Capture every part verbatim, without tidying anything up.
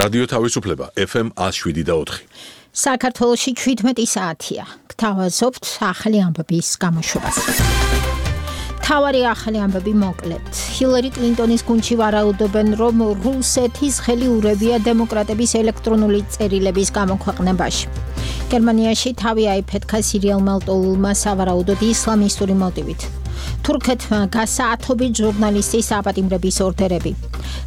რადიო თავისუფლება ეფ ემ one oh seven point four. საქართველოში ჩვიდმეტი საათია. გთავაზობთ ახალი ამბების გამოშვებას. თავარი ახალი ამბები მოკლედ. ჰილარი კლინტონის გუნდში ვარაუდობენ, რომ რუსეთის ხელი ურევია დემოკრატების ელექტრონული წერილების გამოქვეყნებაში. გერმანიაში თავი აიფეთქა სირიალმა ლტოლულმა სავარაუდოდ ისლამისტური მოტივით. თურქეთმა გასაათობით ჟურნალისტის აპატიმრების ორდერები.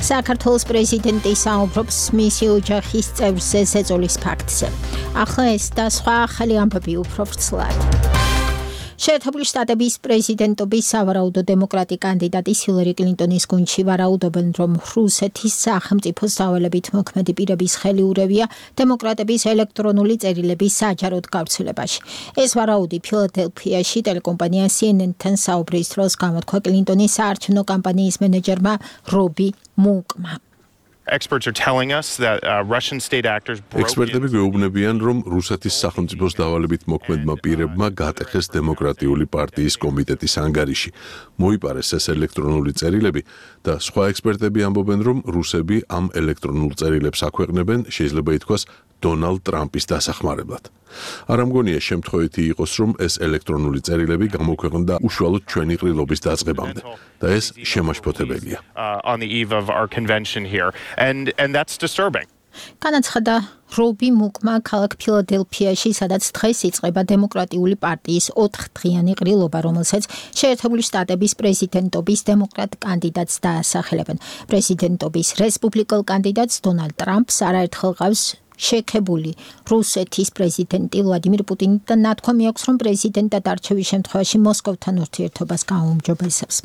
საქართველოს პრეზიდენტი საუბრობს მისი ოჯახის წევრზე ზეწოლის ფაქტზე. ახლა ეს და სხვა ახალი ამბები უფრო ვრცლად. შეერთებული შტატების პრეზიდენტობის სავარაუდო დემოკრატი კანდიდატი ჰილარი კლინტონის გუნდში ვარაუდობენ, რომ რუსეთის სახელმწიფოს დავალებით მოქმედი პირების ხელი ურევია დემოკრატების ელექტრონული წერილების საჯაროდ გავრცელებაში. ეს ვარაუდი ფილადელფიაში ტელეკომპანია სი ენ ენ-თან საუბრის დროს გამოთქვა კლინტონის საარჩევნო კამპანიის მენეჯერმა რობი მუკმა. Experts are telling us that uh, Russian state actors ექსპერტები გვეუბნებიან, რომ რუსეთის სახელმწიფოს დავალებით მოქმედმა პირებმა გატეხეს დემოკრატიული პარტიის კომიტეტის ანგარიში. მოიპარეს ეს ელექტრონული წერილები და სხვა ექსპერტები ამბობენ, რომ რუსები ამ ელექტრონულ წერილებს აქვეყნებენ, შეიძლება ითქვას, დონალდ ტრამპის დასახმარებლად. არ ამგონია შემთხვევითი იყოს, რომ ეს ელექტრონული წერილები გამოქვეყნდა უშუალოდ ჩვენი ყრილობის დაწყებამდე და ეს შემაშფოთებელია. on the eve of our convention here and and that's disturbing. განაცხადა რობი მუკმა ქალაქ ფილადელფიაში, სადაც დღეს იწყება დემოკრატიული პარტიის ოთხდღიანი ყრილობა, რომელსაც შეერთებული შტატების პრეზიდენტობის დემოკრატ კანდიდატს დაასახელებენ. პრეზიდენტობის რესპუბლიკელ კანდიდატს დონალდ ტრამპს არაერთხელ ყავს შექებული რუსეთის პრეზიდენტი ვლადიმირ პუტინი და ნათქვამი აქვს, რომ პრეზიდენტად არჩევის შემთხვევაში მოსკოვთან ურთიერთობას გააუმჯობესებს.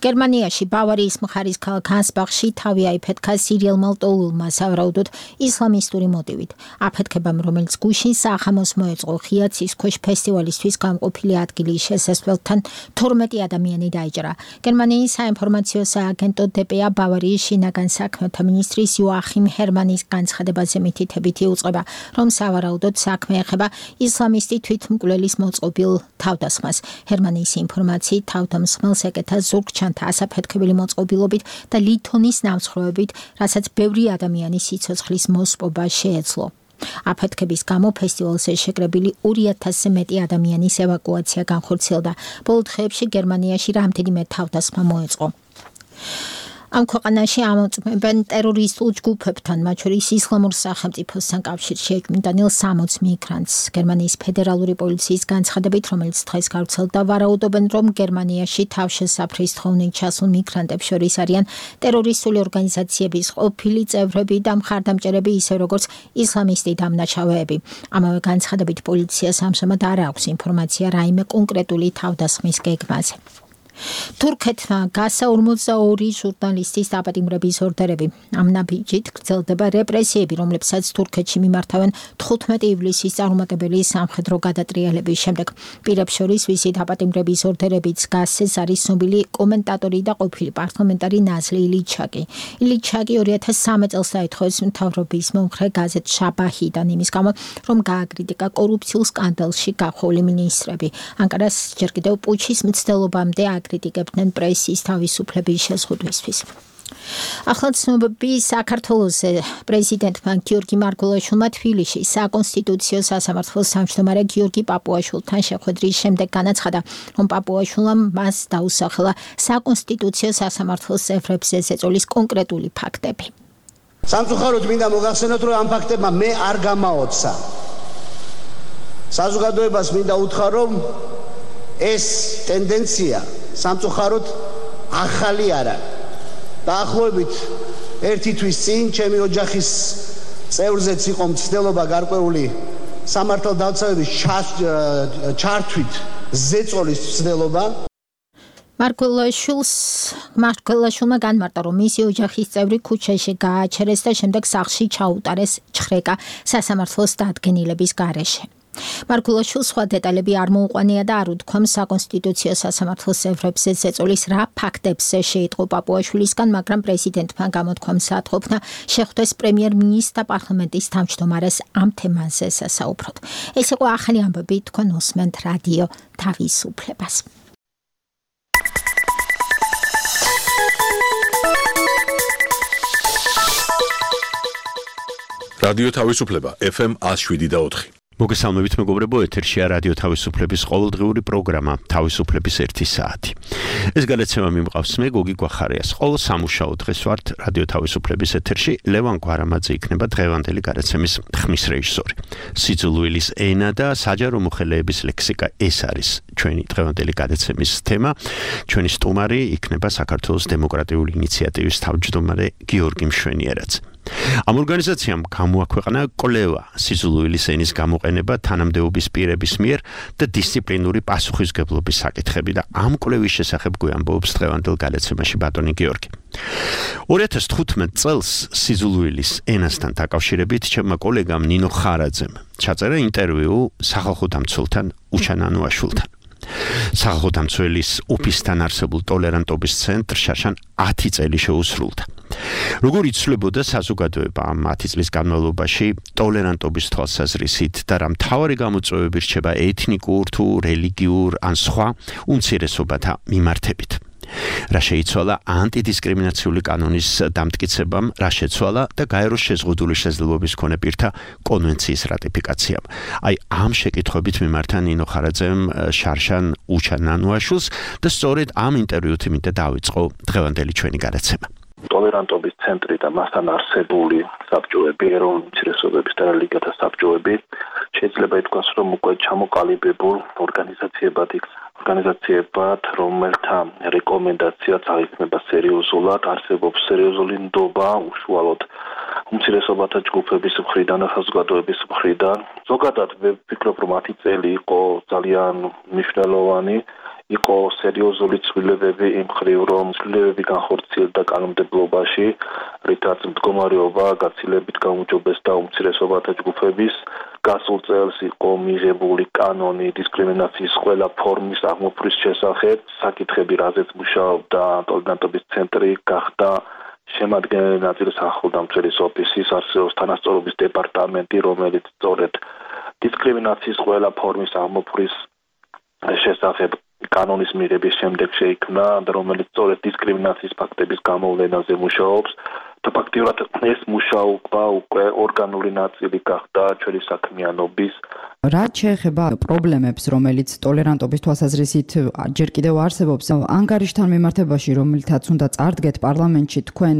გერმანიაში ბავარიის მხარის ქალაქ ანსბახში თავი აიფეთქა სირიალმა ლტოლულმა სავარაუდოდ ისლამისტური მოტივით. აფეთქებამ, რომელიც გუშინ სახამოს მოეწყო ხიაცის ქვეშ ფესტივალისთვის გამყოფილი ადგილის შესასვლელთან თორმეტი ადამიანი დაიჭრა. გერმანიის საინფორმაციო სააგენტო დე პე ა ბავარიის შინაგან საქმეთა მინისტრის იოახიმ ჰერმანის განცხადებაზე მითითებით იუწყება, რომ სავარაუდოდ საქმე ეხება ისლამისტი თვითმკვლელის მოწყობილ თავდასხმას. ჰერმანის ინფორმაციით თავდამსხმელს ეკეთა ზურგჩანთა ასაფეთქებელი მოწყობილობით და ლითონის ნამსხვრევებით, რასაც ბევრი ადამიანის სიცოცხლის მოსპობა შეეძლო. აფეთქების გამო ფესტივალზე შეკრებილი ორი ათასზე მეტი ადამიანის ევაკუაცია განხორციელდა. ბოლო დღეებში გერმანიაში რამდენიმე თავდასხმა მოეწყო. ამ ქვეყანაში ამოწმებენ ტერორისტულ ჯგუფებთან, მათ შორის ისლამურ სახელმწიფოსთან კავშირში ეჭვმიტანილ სამოც მიგრანტს. გერმანიის ფედერალური პოლიციის განცხადებით, რომელიც დღეს გავრცელდა, ვარაუდობენ, რომ გერმანიაში თავშესაფრის თხოვნით ჩასულ მიგრანტებს შორის არიან ტერორისტული ორგანიზაციების ყოფილი წევრები და მხარდამჭერები, ისე როგორც ისლამისტი დამნაშავეები. ამავე განცხადებით პოლიციას ამჟამად არ აქვს ინფორმაცია რაიმე კონკრეტული თავდასხმის გეგმაზე. თურქეთმა გასა ორმოცდაორი ჟურნალისტის აპატიმრების ორდერები. ამ ნაბიჯით გრძელდება რეპრესიები, რომლებსაც თურქეთში მიმართავენ თხუთმეტი ივლისის წარუმატებელი სამხედრო გადატრიალების შემდეგ. პირებს შორის ვისით აპატიმრების ორდერებიც გასეს არის ცნობილი კომენტატორი და ყოფილი პარლამენტარი ნაზლი ილიჩაკი. ილიჩაკი ორი ათას სამი წელს დაითხოვეს მთავრობის მომხრე გაზეთ შაბაჰიდან იმის გამო, რომ გააკრიტიკა კორუფციულ სკანდალში გახვეული მინისტრები. ანკარას ჯერ კიდევ პუჩის მცდელობამდე აკრიტიკებდნენ პრესის თავისუფლების შეზღუდვისთვის. ახლა ცნობები საქართველოზე. პრეზიდენტმა გიორგი მარგველაშვილმა თბილისში საკონსტიტუციო სასამართლოს თავმჯდომარე გიორგი პაპუაშვილთან შეხვედრის შემდეგ განაცხადა, რომ პაპუაშვილმა მას დაუსახელა საკონსტიტუციო სასამართლოს წევრებზე ზეწოლის კონკრეტული ფაქტები. სამწუხაროდ მინდა მოგახსენოთ, რომ ამ ფაქტებმა მე არ გამაოცა. საზოგადოებას მინდა უთხრა, რომ ეს ტენდენცია სამწუხაროდ ახალი არა. დაახლოებით ერთი თვის წინ ჩემი ოჯახის წევრზეც იყო მცდელობა გარკვეული სამართალდამცავების ჩართვით ზეწოლის მცდელობა. მარგველაშვილს მარგველაშვილმა განმარტა, რომ მისი ოჯახის წევრი ქუჩაში გააჩერეს და შემდეგ სახლში ჩაუტარეს ჩხრეკა სასამართლოს დადგენილების გარეშე. მარგველაშვილს სხვა დეტალები არ მოუყვანია და არ უთქვამს საკონსტიტუციო სასამართლოს წევრებზე ზეწოლის რა ფაქტებზე შეიტყო პაპუაშვილისგან, მაგრამ პრეზიდენტმა გამოთქვა მსათყოფნა შეხვდეს პრემიერ-მინისტრს და პარლამენტის თავმჯდომარეს ამ თემაზე სასაუბროთ. ეს იყო ახალი ამბები, თქვენ უსმენთ რადიო თავისუფლებას. რადიო თავისუფლება ეფ ემ one oh seven და four. მოგესალმებით მეგობრებო, ეთერშია რადიო თავისუფლების ყოველდღიური პროგრამა თავისუფლების ერთი საათი. ეს გადაცემა მიმყავს მე გოგი გვახარიას. ყოველ სამუშაო დღეს ვართ რადიო თავისუფლების ეთერში. ლევან გვარამაძე იქნება დღევანდელი გადაცემის ხმის რეჟისორი. სიძულვილის ენა და საჯარო მოხელეების ლექსიკა ეს არის ჩვენი დღევანდელი გადაცემის თემა. ჩვენი სტუმარი იქნება საქართველოს დემოკრატიული ინიციატივის თავმჯდომარე გიორგი მშვენიერაც. ამ ორგანიზაციამ გამოაქვეყნა კვლევა სიძულვილის ენის გამოყენება თანამდებობის პირების მიერ და დისციპლინური პასუხისმგებლობის საკითხები და ამ კვლევის შესახებ გვამბობს დღევანდელ გადაცემაში ბატონი გიორგი. two thousand fifteen წელს სიძულვილის ენასთან დაკავშირებით ჩემმა კოლეგამ ნინო ხარაძემ ჩაწერა ინტერვიუ სახალხო დამცველთან უჩან ანუაშვილთან. სახალხო დამცველის ოფისთან არსებულ ტოლერანტობის ცენტრშან ten წელი შეუსრულდა. როგორ იცვლებოდა საზოგადოება ამ ten წლის განმავლობაში ტოლერანტობის თვალსაზრისით და რა მთავარი გამოწვევები რჩება ეთნიკურ თუ რელიგიურ ან სხვა უმცირესობათა მიმართებით. რა შეიცვალა ანტიდისკრიმინაციული კანონის დამტკიცებამ, რა შეცვალა და გაეროს შეზღუდული შესაძლებლობის მქონე პირთა კონვენციის რატიფიკაციამ. აი ამ შეკითხვებით მიმართა ნინო ხარაძემ შარშან უჩან ანუაშვილს და სწორედ ამ ინტერვიუთ იმით დაიწყო დღევანდელი ჩვენი გადაცემა. ტოლერანტობის ცენტრი და მასთან არსებული საბჭოები, ეროვნული უმცირესობების და რელიგიათა საბჭოები შეიძლება ითქვას, რომ უკვე ჩამოყალიბებულ ორგანიზაციებად იქ ორგანიზაციებად, რომელთა რეკომენდაციაც აღიქმება სერიოზულად, არსებობს სერიოზული ნდობა უშუალოდ უმცირესობათა ჯგუფების მხრიდან და საზოგადოების მხრიდან. ზოგადად ვფიქრობ, რომ ten წელი იყო ძალიან მნიშვნელოვანი. იყო სერიოზული ცვლილებები იმ მხრივ, რომ ცვლილებები განხორციელდა კანონმდებლობაში, რითაც მდგომარეობა გაცილებით გაუმჯობესდა უმცირესობათა ჯგუფების. გასულ წელს იყო მიღებული კანონი დისკრიმინაციის ყველა ფორმის აღმოფხვის შესახებ. საკითხები, რაზეც მუშაობდა ტოლერანტობის ცენტრი, გახდა შემადგენელი ნაწილი სახალხო დამცველის ოფისის, არსებობს თანასწორობის დეპარტამენტი, რომელიც სწორედ დისკრიმინაციის ყველა ფორმის აღმოფხვის შესახებ კანონის მიღების შემდეგ შეიქმნა და რომელიც სწორედ დისკრიმინაციის ფაქტების გამოვლენაზე მუშაობს და ფაქტიურად ეს მუშაობა უკვე ორგანული ნაწილი გახდა ჩვენი საქმიანობის. რაც შეეხება პრობლემებს, რომელიც ტოლერანტობის თვალსაზრისით ჯერ კიდევ არსებობს, ანგარიშთან მიმართებაში, რომელთაც უნდა წარდგეთ პარლამენტში, თქვენ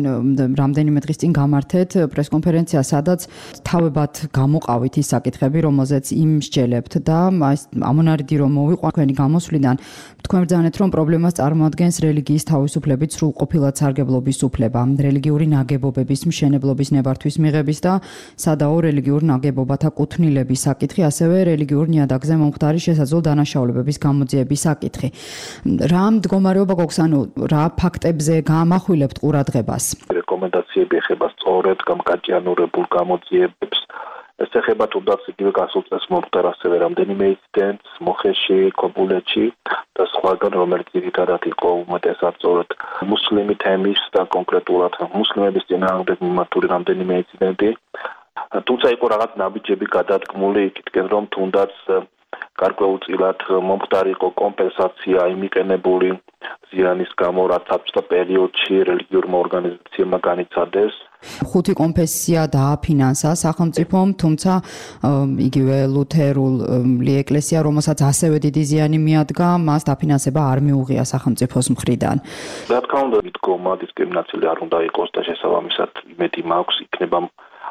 რამდენიმე დღის წინ გამართეთ პრესკონფერენცია, სადაც თავებად გამოყავით ის საკითხები, რომელზეც იმსჯელებთ და ამონარიდი რომ მოვიყვა თქვენი გამოსვლიდან, თქვენ ბრძანეთ, რომ პრობლემას წარმოადგენს რელიგიის თავისუფლებით სრულყოფილად სარგებლობის უფლება, რელიგიური ნაგებობების მშენებლობის ნებართვის მიღების და სადაო რელიგიურ ნაგებობათა კუთვნილების საკითხი, ასევე რელიგიურ ნიადაგზე მომხდარი შესაძლო დანაშაულებების გამოძიების საკითხი. რა მდგომარეობა გვაქვს, ანუ რა ფაქტებზე გაამახვილებთ ყურადღებას? რეკომენდაციები ეხება სწორედ გამკაჭიანურებულ გამოძიებებს. ეს ეხება თუნდაც იგივე გასულ წელს მომხდარ ასევე რამდენიმე ინციდენტს მოხეში, ქობულეთში და სხვაგან, რომელიც ძირითადად იყო უმეტესად სწორედ მუსლიმი თემის და კონკრეტულად მუსლიმების წინააღმდეგ მიმართული რამდენიმე ინციდენტი. თუმცა იყო რაღაც ნაბიჯები გადადგმული იქითკენ, რომ თუნდაც გარკვეულწილად მომხდარი იყო კომპენსაცია იმიყენებული ზიანის გამო, რაც საბჭოთა პერიოდში რელიგიურმა ორგანიზაციებმა განიცადეს. ხუთი კონფესია დააფინანსა სახელმწიფომ, თუმცა იგივე ლუთერული ეკლესია, რომელსაც ასევე დიდი ზიანი მიადგა, მას დაფინანსება არ მიუღია სახელმწიფოს მხრიდან. რა თქმა უნდა, მიდგომა დისკრიმინაციული არ უნდა იყოს და შესაბამისად იმედი მაქვს იქნება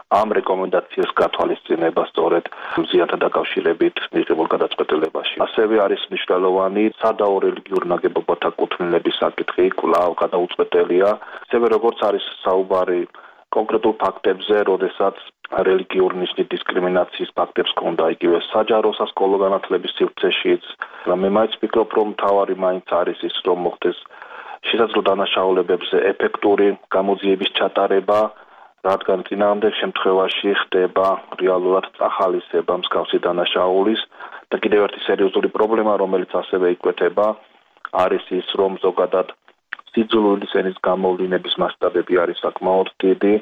ამ რეკომენდაციას გათვალისწინება სწორედ მზიანთა დაკავშირებით მიღებულ გადაწყვეტილებაში. ასევე არის მნიშვნელოვანი სადაო რელიგიურ ნაგებობათა კუთვნილების საკითხი, კვლავ გადაუწყვეტელია. ასევე როგორც არის საუბარი კონკრეტულ ფაქტებზე, როდესაც რელიგიურ ნიშნით დისკრიმინაციის ფაქტებს ჰქონდა იგივე საჯარო სასკოლო განათლების სივრცეშიც. მე მაინც ვფიქრობ, რომ მთავარი მაინც არის ის, რომ მოხდეს შესაძლო დანაშაულებებზე ეფექტური გამოძიების ჩატარება, რადგან წინააღმდეგ შემთხვევაში ხდება რეალურად წახალისება მსგავსი დანაშაულის და კიდევ ერთი სერიოზული პრობლემა, რომელიც ასევე იკვეთება, არის ის, რომ ზოგადად სიძულვილის ენის გამოვლინების მასშტაბები არის საკმაოდ დიდი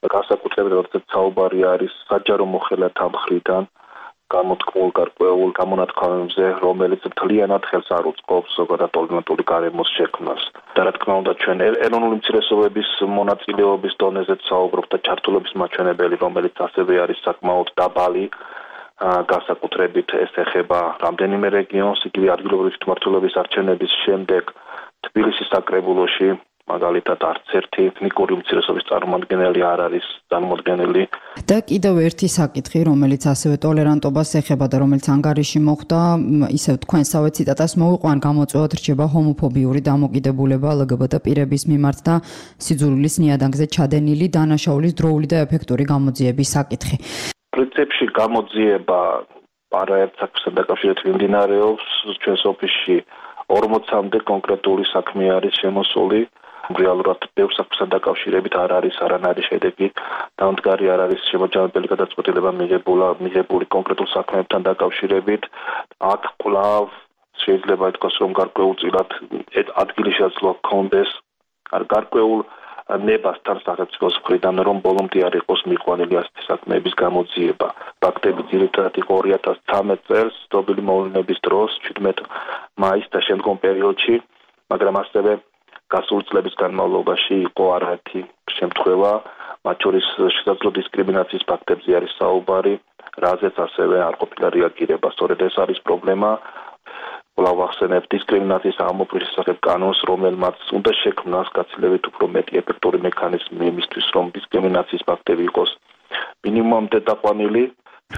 და განსაკუთრებით როდესაც საუბარი არის საჯარო მოხელეთა მხრიდან გამოთქმულ გარკვეულ გამონათქვამებზე, რომელიც მთლიანად ხელს არ უწყობს ზოგადად პოლიტიკური გარემოს შექმნას. და რა თქმა უნდა, ჩვენ ეროვნული უმცირესობების მონაწილეობის დონეზეც საუბრობთ და ჩართულობის მაჩვენებელი, რომელიც ასევე არის საკმაოდ დაბალი, განსაკუთრებით ეს ეხება რამდენიმე რეგიონს, იგივე ადგილობრივი თვითმმართველობის არჩევნების შემდეგ თბილისის საკრებულოში მაგალითად არც ერთი ეთნიკური უმცირესობის წარმომადგენელი არ არის წარმოდგენილი. და კიდევ ერთი საკითხი, რომელიც ასევე ტოლერანტობას ეხება და რომელიც ანგარიში მოხვდა, ისევ თქვენსავე ციტატას მოვიყვან, გამოწვევად რჩება ჰომოფობიური დამოკიდებულება ლგბტ პირების მიმართ და სიძულვილის ნიადაგზე ჩადენილი დანაშაულის დროული და ეფექტური გამოძიების საკითხი. პრინციპში გამოძიება არაერთ საქმესთან დაკავშირებით მიმდინარეობს, ჩვენს ოფისში ორმოცამდე კონკრეტული საქმე არის შემოსული. რეალურად ბევრ საქმესთან დაკავშირებით არ არის არანაირი შედეგი, დამდგარი არ არის შემოჯამებელი გადაწყვეტილება მიღებულა მიღებული კონკრეტულ საქმეებთან დაკავშირებით. აქ კვლავ შეიძლება ითქვას, რომ გარკვეულწილად ადგილი შესაძლოა ჰქონდეს არ გარკვეულ ნებასთან სახელმწიფოს მხრიდან, რომ ბოლომდე არ იყოს მიყვანილი ასეთი საქმეების გამოძიება. ფაქტები ძირითადად იყო ორი ათას ცხრამეტ წელს ცნობილი მოვლენების დროს, ჩვიდმეტ მაისს და შემდგომ პერიოდში, მაგრამ ასევე გასული წლების განმავლობაში იყო არაერთი შემთხვევა, მათ შორის შესაძლო დისკრიმინაციის ფაქტებზე არის საუბარი, რაზეც ასევე არ ყოფილა რეაგირება. სწორედ ეს არის პრობლემა. კვლავ ახსენებ დისკრიმინაციის ამოფრვის შესახებ კანონს, რომელმაც უნდა შექმნას გაცილებით უფრო მეტი ეფექტური მექანიზმი იმისთვის, რომ დისკრიმინაციის ფაქტები იყოს მინიმუმამდე დაყვანილი.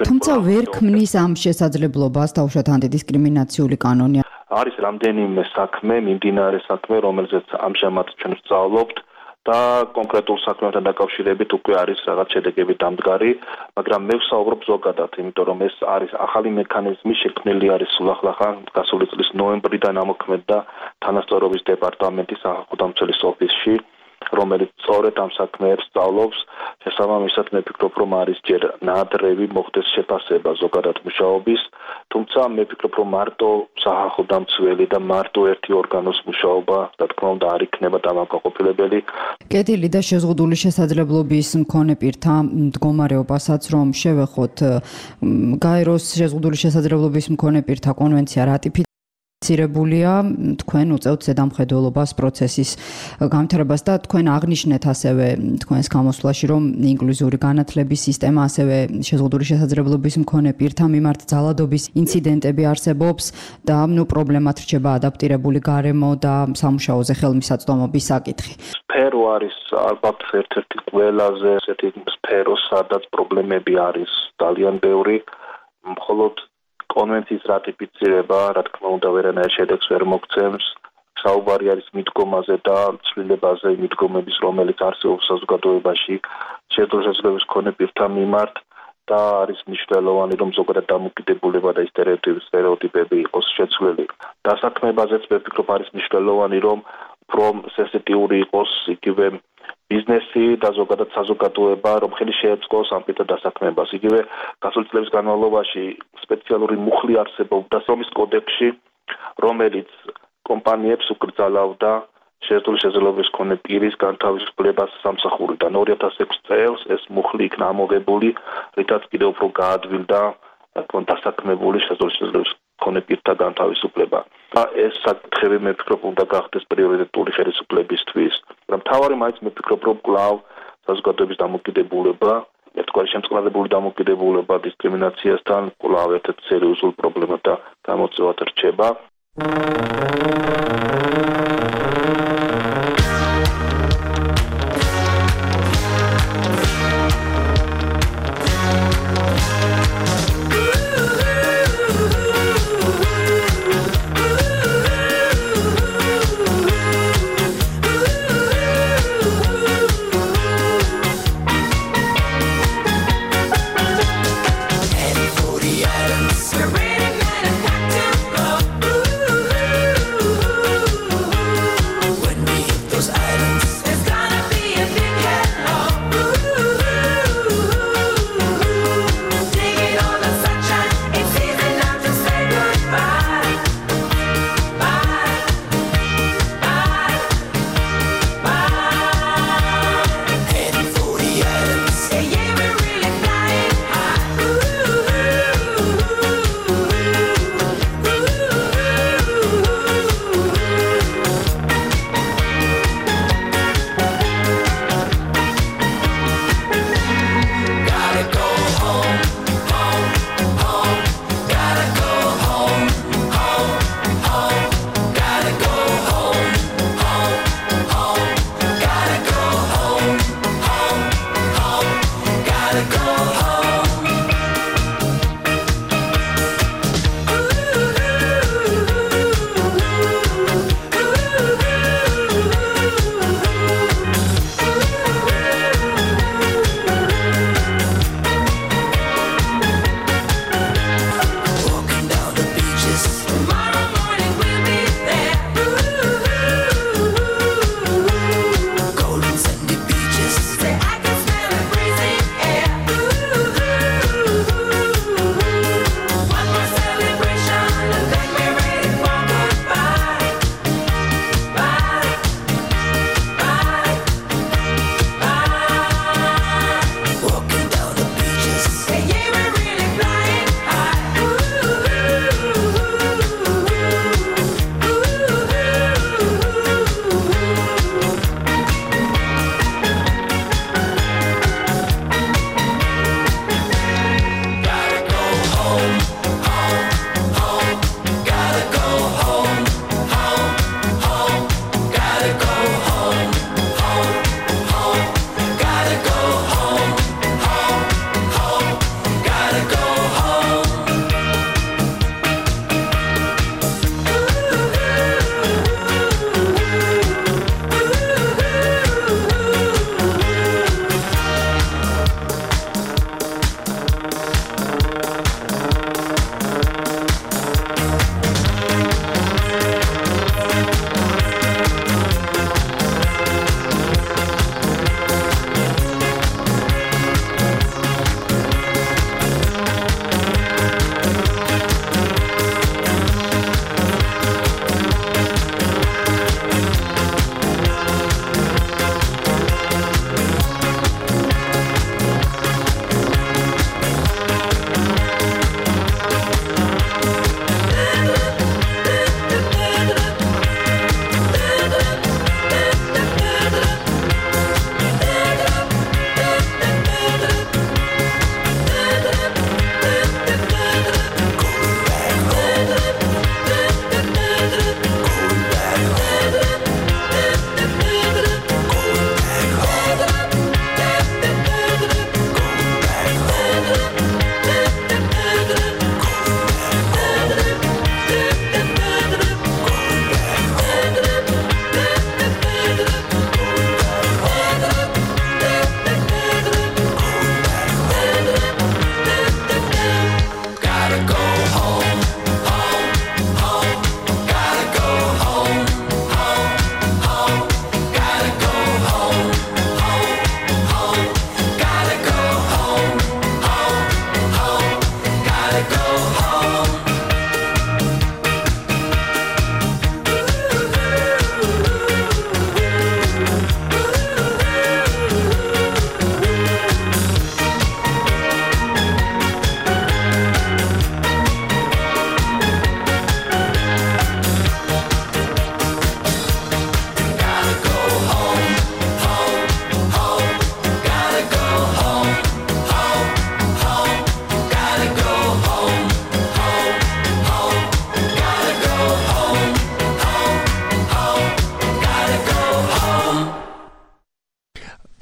თუმცა ვერ ქმნის ამ შესაძლებლობას თავშოთ ანტიდისკრიმინაციული კანონი. არის რამდენიმე საქმე, მიმდინარე საქმე, რომელზეც ამჟამად ჩვენ ვსწავლობთ და კონკრეტულ საქმეებთან დაკავშირებით უკვე არის რაღაც შედეგები დამდგარი, მაგრამ მე ვსაუბრობ ზოგადად, იმიტომ რომ ეს არის ახალი მექანიზმი, შექმნილი არის სულახლახან გასული წლის ნოემბრიდან ამოქმედდა თანასწორობის დეპარტამენტის სახალხო დამცველის ოფისში, რომელიც სწორედ ამ საქმეებს სწავლობს. შესაბამისად, მე ვფიქრობ, რომ არის ჯერ ნაადრევი მოხდეს შეფასება ზოგადად მუშაობის, თუმცა მე ვფიქრობ, რომ მარტო სახალხო დამცველი და მარტო ერთი ორგანოს მუშაობა, რა თქმა უნდა, არ იქნება დამაკმაყოფილებელი. კეთილი და შეზღუდული შესაძლებლობის მქონე პირთა მდგომარეობასაც რომ შევეხოთ, გაეროს შეზღუდული შესაძლებლობის მქონე პირთა კონვენცია რატიფიცირებულია ცირებულია, თქვენ უწევთ ზედამხედველობას პროცესის გამთავრებას და თქვენ აღნიშნეთ ასევე თქვენს გამოსვლაში, რომ ინკლუზიური განათლების სისტემა, ასევე შეზღუდული შესაძლებლობის მქონე პირთა მიმართ ძალადობის ინციდენტები არსებობს და ნუ პრობლემად რჩება ადაპტირებული გარემო და სამუშაოზე ხელმისაწვდომობის საკითხი. სფერო არის ალბათ ერთ-ერთი ყველაზე ესეთი სფერო, სადაც პრობლემები არის ძალიან ბევრი, მხოლოდ კონვენციის რატიფიცირება, რა თქმა უნდა, ვერანაირ შედეგს ვერ მოგცემს. საუბარი არის მიდგომაზე და ცვლილებაზე მიდგომების, რომელიც არსებობს საზოგადოებაში შეზღუდული შესაძლებლობის მქონე პირთა მიმართ და არის მნიშვნელოვანი, რომ ზოგადად დამოკიდებულება და სტერეოტიპები იყოს შეცვლილი. დასაქმებაზეც მე ვფიქრობ, არის მნიშვნელოვანი, რომ უფრო სენსიტიური იყოს იგივე ბიზნესი და ზოგადად საზოგადოება, რომ ხელი შეეწყოს ამ პირთა დასაქმებას. იგივე გასული წლების განმავლობაში სპეციალური მუხლი არსებობდა სომის კოდექსში, რომელიც კომპანიებს უკრძალავდა შეზღუდული შესაძლებლობის მქონე პირის განთავისუფლებას სამსახურიდან. ორი ათას ექვსი წელს ეს მუხლი იქნა ამოღებული, რითაც კიდევ უფრო გაადვილდა დასაქმებული შეზღუდული შესაძლებლობის მქონე პირთა განთავისუფლება. და ეს საკითხები მე ვფიქრობ, უნდა გახდეს პრიორიტეტული ხელისუფლებისთვის. მთავარი მაინც მე ვფიქრობ, რომ კვლავ საზოგადოების დამოკიდებულება, ერთგვარი შემწყნარებული დამოკიდებულება დისკრიმინაციასთან კვლავ ერთ-ერთი სერიოზული პრობლემა და გამოწვევად რჩება. Ooh,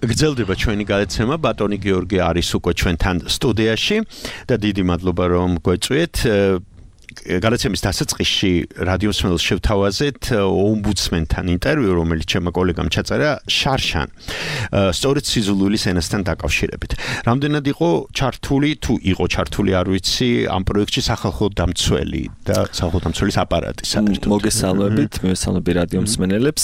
გრძელდება ჩვენი გადაცემა. ბატონი გიორგი არის უკვე ჩვენთან სტუდიაში და დიდი მადლობა რომ გვეწვიეთ. გადაცემის დასაწყისში რადიო მსმენელს შევთავაზეთ ომბუდსმენთან ინტერვიუ, რომელიც ჩემმა კოლეგამ ჩაწერა შარშან. სწორედ სიძულვილის ენასთან დაკავშირებით. რამდენად იყო ჩართული, თუ იყო ჩართული, არ ვიცი, ამ პროექტში სახალხო დამცველი და სახალხო დამცველის აპარატი საერთოდ. მოგესალმებით, მივესალმები რადიო მსმენელებს.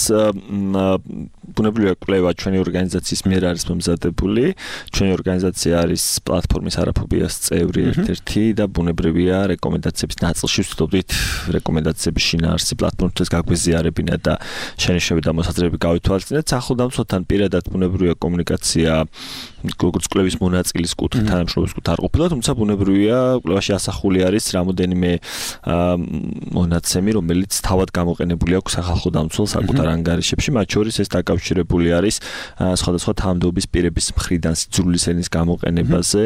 ბუნებრივია კვლევა ჩვენი ორგანიზაციის მიერ არის მომზადებული. ჩვენი ორგანიზაცია არის პლატფორმის არაფობიას წევრი ერთ-ერთი და ბუნებრივია რეკომენდაციების ნაწილში ვცდილობდით რეკომენდაციების შინაარსი პლატფორმისთვის გაგვიზიარებინა და შენიშვნები და მოსაზრებები გავითვალისწინეთ. სახელმწიფოსთან პირადად ბუნებრივია კომუნიკაცია როგორც კვლევის მონაწილის კუთხით, თანამშრომლის კუთხით არ ყოფილა, თუმცა ბუნებრივია კვლევაში ასახული არის რამოდენიმე მონაცემი, რომელიც თავად გამოყენებული აქვს სახალხო დამცველ საკუთარ ანგარიშებში, მათ შორის ეს დაკავშირებული არის სხვადასხვა თანამდებობის პირების მხრიდან სიძულვილის ენის გამოყენებაზე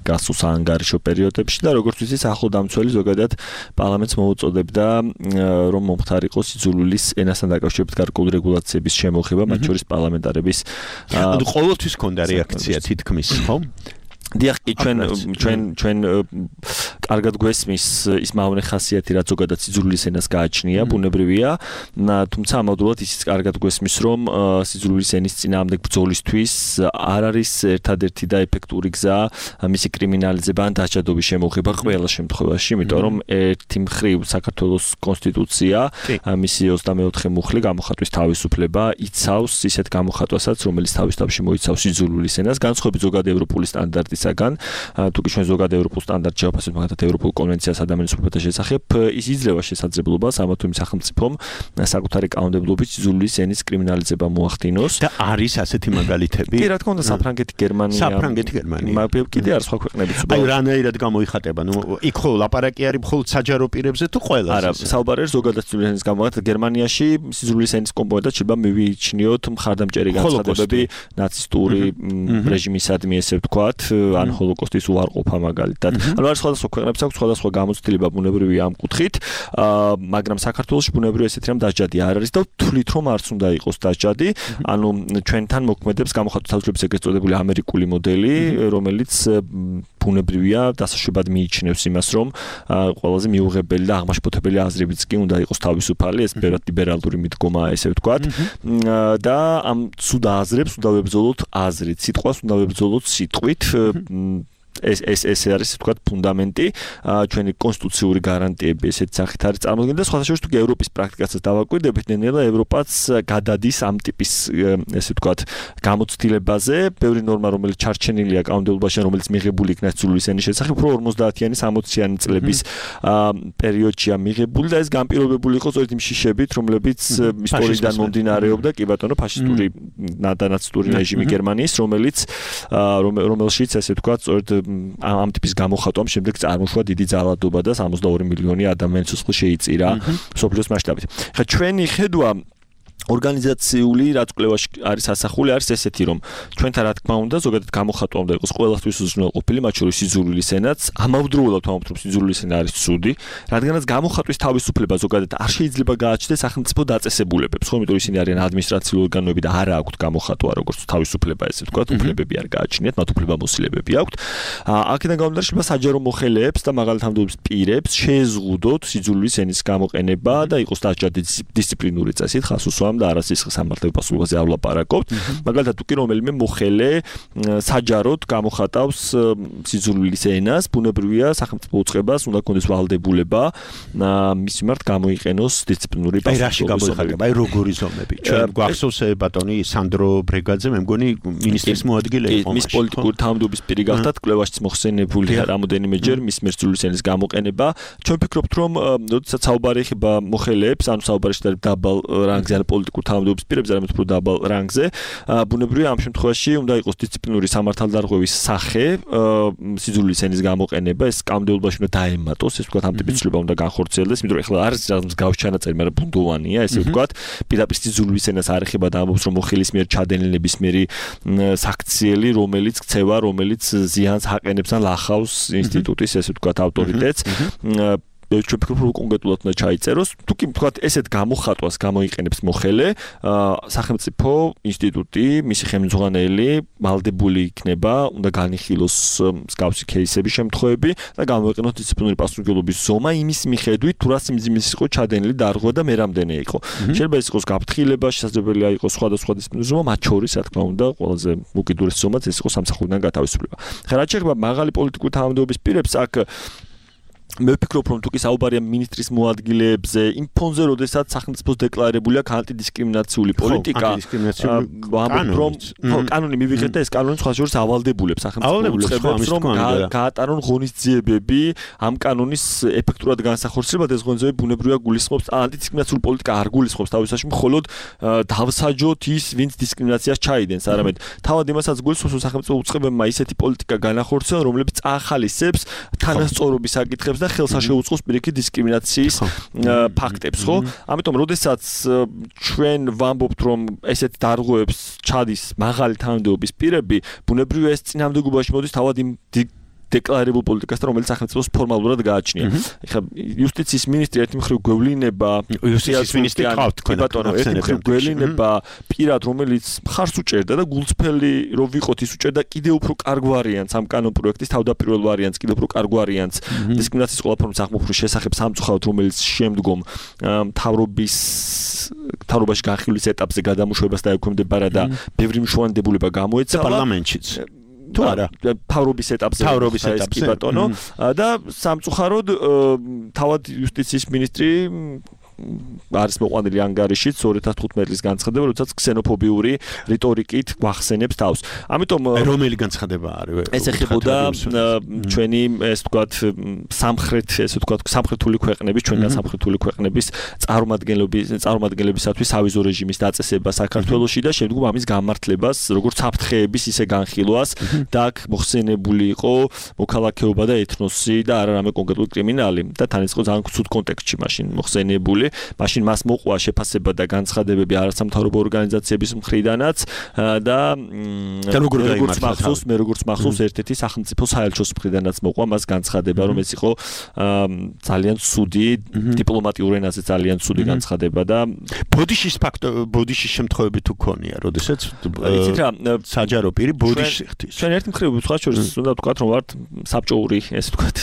გასულ საანგარიშო პერიოდებში და როგორც ვიცით, სახალხო დამცველი ზოგადად პარლამენტს მოუწოდებდა რომ მომხდარიყოს სიძულვილის ენასთან დაკავშირებით გარკვეული რეგულაციების შემოღება, მათ შორის პარლამენტარების ყოველთვის ჰქონდა რეაქცია თითქმის, ხო? დიახ, ჩვენ ჩვენ ჩვენ კარგად გვესმის ის მავნე ხასიათი, რაც ზოგადად სიძულვილის ენას გააჩნია, ბუნებრივია, თუმცა ამავდროულად ისიც კარგად გვესმის, რომ სიძულვილის ენის წინააღმდეგ ბრძოლისთვის არ არის ერთადერთი და ეფექტური გზა მისი კრიმინალიზება ან დაჯადობის შემოღება ყველა შემთხვევაში, იმიტომ რომ ერთი მხრივ საქართველოს კონსტიტუცია მისი ოცდამეოთხე მუხლი გამოხატვის თავისუფლება იცავს ისეთ გამოხატვასაც, რომელიც თავის თავში მოიცავს სიძულვილის ენას, განსხვავებით ზოგადად ევროპული სტანდარტის საგან თუკი ჩვენ ზოგადად ევროპულ სტანდარტს შევაფასებთ მაგალითად ევროპულ კონვენციას ადამიანის უფლებათა შესახებ, ის იძლევა შესაძლებლობას ამა თუ იმ სახელმწიფომ საკუთარი კანონმდებლობით სიძულვილის ენის კრიმინალიზება მოახდინოს და არის ასეთი მაგალითები. კი, რა თქმა უნდა, საფრანგეთი, გერმანია. საფრანგეთი, გერმანია. მაგრამ კიდე არის სხვა ქვეყნებიც. აი, რანაირად გამოიხატება? ნუ იქ ხო ლაპარაკი არის მხოლოდ საჯარო პირებზე თუ ყველას? არა, საუბარი არის ზოგადად სიძულვილის ენის გამოყენებით. გერმანიაში სიძულვილის ენის კომპონენტად შეიძლება მივიჩნიოთ მხარდამჭერი განცხადებები ნაცისტური რეჟიმისადმი, ესე ვთქვათ, ან ჰოლოკოსტის უარყოფა მაგალითად. ანუ არის სხვადასხვა ქვეყნებს აქვს სხვადასხვა გამოცდილება ბუნებრივია ამ კუთხით, მაგრამ საქართველოში ბუნებრივია ესეთი რამ დასჯადი არ არის და თვლით რომ არც უნდა იყოს დასჯადი. ანუ ჩვენთან მოქმედებს გამოხატვის თავისუფლების ეგრეთ წოდებული ამერიკული მოდელი, რომელიც ბუნებრივია დასაშვებად მიიჩნევს იმას, რომ ყველაზე მიუღებელი და აღმაშფოთებელი აზრებიც კი უნდა იყოს თავისუფალი, ეს ბევრად ლიბერალური მიდგომაა, ესე ვთქვათ. და ამ ცუდ აზრებს უნდა ვებრძოლოთ აზრით, სიტყვას უნდა ვებრძოლოთ სიტყვით. ეს ეს ეს არის თქვათ ფუნდამენტი ჩვენი კონსტიტუციური გარანტიები ესეთ სახით არის წარმოქმნილი და სხვა შორის თუ ევროპის პრაქტიკასაც დავაკვირდებით, ნელ-ნელა ევროპაც გადადის ამ ტიპის ესე ვთქვათ გამოცდილებაზე. ბევრი ნორმა, რომელიც ჩარჩენილია კანონმდებლობაში, რომელიც მიღებული იქნა სიძულვილის ენის შესახებ, უფრო ორმოცდაათიანი სამოციანი წლების პერიოდშია მიღებული და ეს განპირობებული იყო სწორედ იმ შიშებით, რომლებიც ისტორიიდან მომდინარეობდა, კი ბატონო, ფაშისტური ნაცისტური რეჟიმი გერმანიის, რომელიც რომელშიც ესე ვთქვათ სწორედ ამ ტიპის გამოხატვამ შემდეგ წარმოშვა დიდი ძალადობა და სამოცდაორი მილიონი ადამიანის სულ შეიწირა სოფლიოს მასშტაბით. ხა ჩვენი ხედვა ორგანიზაციული რაც კვლევაში არის ასახული არის ესეთი, რომ ჩვენთან რა თქმა უნდა ზოგადად გამოხატვა უნდა იყოს ყველასთვის უზრუნველყოფილი, მათ შორის სიძულვილის ენაც, ამავდროულად ვამბობთ, რომ სიძულვილის ენა არის ცუდი, რადგანაც გამოხატვის თავისუფლება ზოგადად არ შეიძლება გააჩნდეს სახელმწიფო დაწესებულებებს, ხო, იმიტომ ისინი არიან ადმინისტრაციული ორგანოები და არა აქვთ გამოხატვა როგორც თავისუფლება, ესე ვთქვათ, უფლებები არ გააჩნიათ, მათ უფლებამოსილებები აქვთ. აქედან გამომდინარე შეიძლება საჯარო მოხელეებს და მაგალითად თანამდებობის პირებს შეეზღუდოთ სიძულვილის ენის გამოყენება და იყოს დასჯადი დისციპლინური წესით ხასუსვა და არასისხლ სამართლებრივ პასუხობაზე არ ვლაპარაკობთ. მაგალითად, თუ კი რომელიმე მოხელე საჯაროდ გამოხატავს სიძულვილის ენას, ბუნებრივია სახელმწიფო უწყებას უნდა კონდეს ვალდებულება მის მიმართ გამოიყენოს დისციპლინური პასუხობრივი. აი რაში გამოიხატება? აი როგორი ზომები? ჩვენ გვახსოვს ბატონი სანდრო ბრეგაძე, მე მგონი მინისტრის მოადგილე იყო. მის პოლიტიკური თანამდებობის პირი გახდათ, კვლევაშიც მოხსენებულია რამოდენიმეჯერ მის მიერ სიძულვილის ენის გამოყენება. ჩვენ ვფიქრობთ, რომ როდესაც საუბარი ეხება მოხელეებს, ანუ საუბარი შეიძლება დაბალ რანგზე ან პოლიტიკურ თანამდებობის პირებზე, არამედ უფრო დაბალ რანგზე, ბუნებრივია ამ შემთხვევაში უნდა იყოს დისციპლინური სამართალდარღვევის სახე, სიძულვილის ენის გამოყენება, ეს კანონმდებლობაში უნდა დაემატოს, ეს ვთქვათ, ამ ტიპის ცვლილება უნდა განხორციელდეს, იმიტომ რომ ეხლა არის რაღაც მსგავს ჩანაწერი, მაგრამ ბუნდოვანია, ესე ვთქვათ, პირდაპირ სიძულვილის ენას არ ეხება და ამბობს, რომ მოხელის მიერ ჩადენილი ნებისმიერი საქციელი, რომელიც ქცევა, რომელიც ზიანს აყენებს ან ლახავს ინსტიტუტის, ესე ვთქვათ, ავტორიტეტს. ჩვენ ვფიქრობ რომ კონკრეტულად უნდა ჩაიწეროს თუ კი თქვა ესეთ გამოხატვას გამოიყენებს მოხელე სახელმწიფო ინსტიტუტი მისი ხელმძღვანელი ვალდებული იქნება უნდა განიხილოს მსგავსი кейსების შემთხვევები და გამოიყენოს დისციპლინური პასუხისმგებლობის ზომა იმის მიხედვით თუ რა სიმძიმის იყო ჩადენილი დარღვა და მე რამდენი იყო შეიძლება ეს იყოს გაფრთხილება შესაძლებელია იყოს სხვადასხვა დისციპლინური ზომა მათ შორის რა თქმა უნდა ყველაზე უკიდურესი ზომაც ეს იყო სამსახურიდან გათავისუფლება ხა რა შეიძლება მაღალი პოლიტიკური თანამდებობის პირებს აქ მე ვფიქრობ რომ თუ კი საუბარია მინისტრის მოადგილეებზე იმ ფონზე როდესაც სახელმწიფოს დეკლარებულია ანტიდისკრიმინაციული პოლიტიკა ვამბობ რომ კანონი მივიღეთ და ეს კანონი სხვა შორის ავალდებულებს სახელმწიფოს რომ გაატარონ ღონისძიებები ამ კანონის ეფექტურად განსახორციელებლად ეს ღონისძიებები ბუნებრივია გულისხმობს ანტიდისკრიმინაციული პოლიტიკა არ გულისხმობს თავისაში მხოლოდ დავსაჯოთ ის ვინც დისკრიმინაციას ჩაიდენს არამედ თავად იმასაც გულისხმობს რომ სახელმწიფო უწყებებმა ისეთი პოლიტიკა განახორციელონ რომლებიც წაახალისებს თანასწორობის საკითხებს და ხელსა შეუწყოს პირიქით დისკრიმინაციის ფაქტებს, ხო? ამიტომ, როდესაც ჩვენ ვამბობთ, რომ ესეთ დარღვევებს ჩადის მაღალი თანამდებობის პირები, ბუნებრივია ეს წინამდებობაში მოდის თავად იმ დეკლარებულ პოლიტიკასთან, რომელიც სახელმწიფოს ფორმალურად გააჩნია. ეხლა იუსტიციის მინისტრი ერთი მხრივ გვევლინება იუსტიციის მინისტრი ყავთ თქვენ. ბატონო, ერთი მხრივ გვევლინება პირად, რომელიც მხარს უჭერდა და გულწრფელი რო ვიყოთ, ის უჭერდა კიდევ უფრო კარგ ვარიანტს ამ კანონ პროექტის თავდაპირველ ვარიანტს, კიდევ უფრო კარგ ვარიანტს დისკრიმინაციის ყველა ფორმის აღმოფხვრვის შესახებ სამწუხაროდ, რომელიც შემდგომ მთავრობის მთავრობაში განხილვის ეტაპზე გადამუშავებას დაექვემდებარა და ბევრი მშვენდებულება გამოეცა პარლამენტშიც. თუ არა თავრობის ეტაპზე თავრობის ეტაპზე ბატონო და სამწუხაროდ თავად იუსტიციის მინისტრი არის მოყვანილი ანგარიშით ორი ათას თხუთმეტი წლის განცხადება, როდესაც ქსენოფობიური რიტორიკით გვახსენებს თავს. ამიტომ რომელი განცხადება არის? ეს ეხებოდა ჩვენი ეს ვთქვათ სამხრეთ ესე ვთქვათ სამხრეთული ქვეყნების, ჩვენგან სამხრეთული ქვეყნების წარმომადგენლობის წარმომადგენლებისათვის სავიზო რეჟიმის დაწესება საქართველოში და შემდგომ ამის გამართლებას, როგორც საფრთხეების ისე განხილვას და აქ მოხსენებული იყო მოქალაქეობა და ეთნოსი და არა რამე კონკრეტული კრიმინალი და თან ის იყო ძალიან ცუდ კონტექსტში მაშინ მოხსენებული მაშინ მას მოყვა შეფასება და განცხადებები არასამთავრობო ორგანიზაციების მხრიდანაც და როგორც მახსოვს მე როგორც მახსოვს ერთ-ერთი სახელმწიფო საელჩოს მხრიდანაც მოყვა მას განცხადება რომ ეს იყო ძალიან ცუდი დიპლომატიურ ენაზე ძალიან ცუდი განცხადება და ბოდიშის ფაქტო ბოდიშის შემთხვევები თუ ქონია როდესაც იცით რა საჯარო პირი ბოდიშს იხდის ჩვენ ერთ მხრივ სხვა შორის უნდა ვთქვათ რომ ვართ საბჭოური ესე ვთქვათ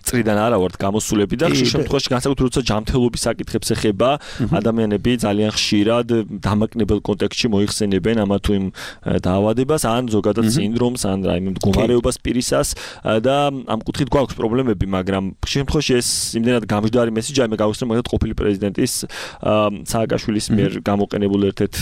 წრიდან არა ვართ გამოსულები და ხშირ შემთხვევაში განსაკუთრებით როცა ჯანმრთელობის საკითხებს ეხება ადამიანები ძალიან ხშირად დამაკნებელ კონტექსტში მოიხსენებენ ამა თუ იმ დაავადებას ან ზოგადად სინდრომს ან რაიმე მდგომარეობას პირისას და ამ კუთხით გვაქვს პრობლემები მაგრამ ხშირ შემთხვევაში ეს იმდენად გამჟდარი მესიჯია მე გავხსენ მაგათ ყოფილი პრეზიდენტის სააკაშვილის მიერ გამოყენებულ ერთ-ერთ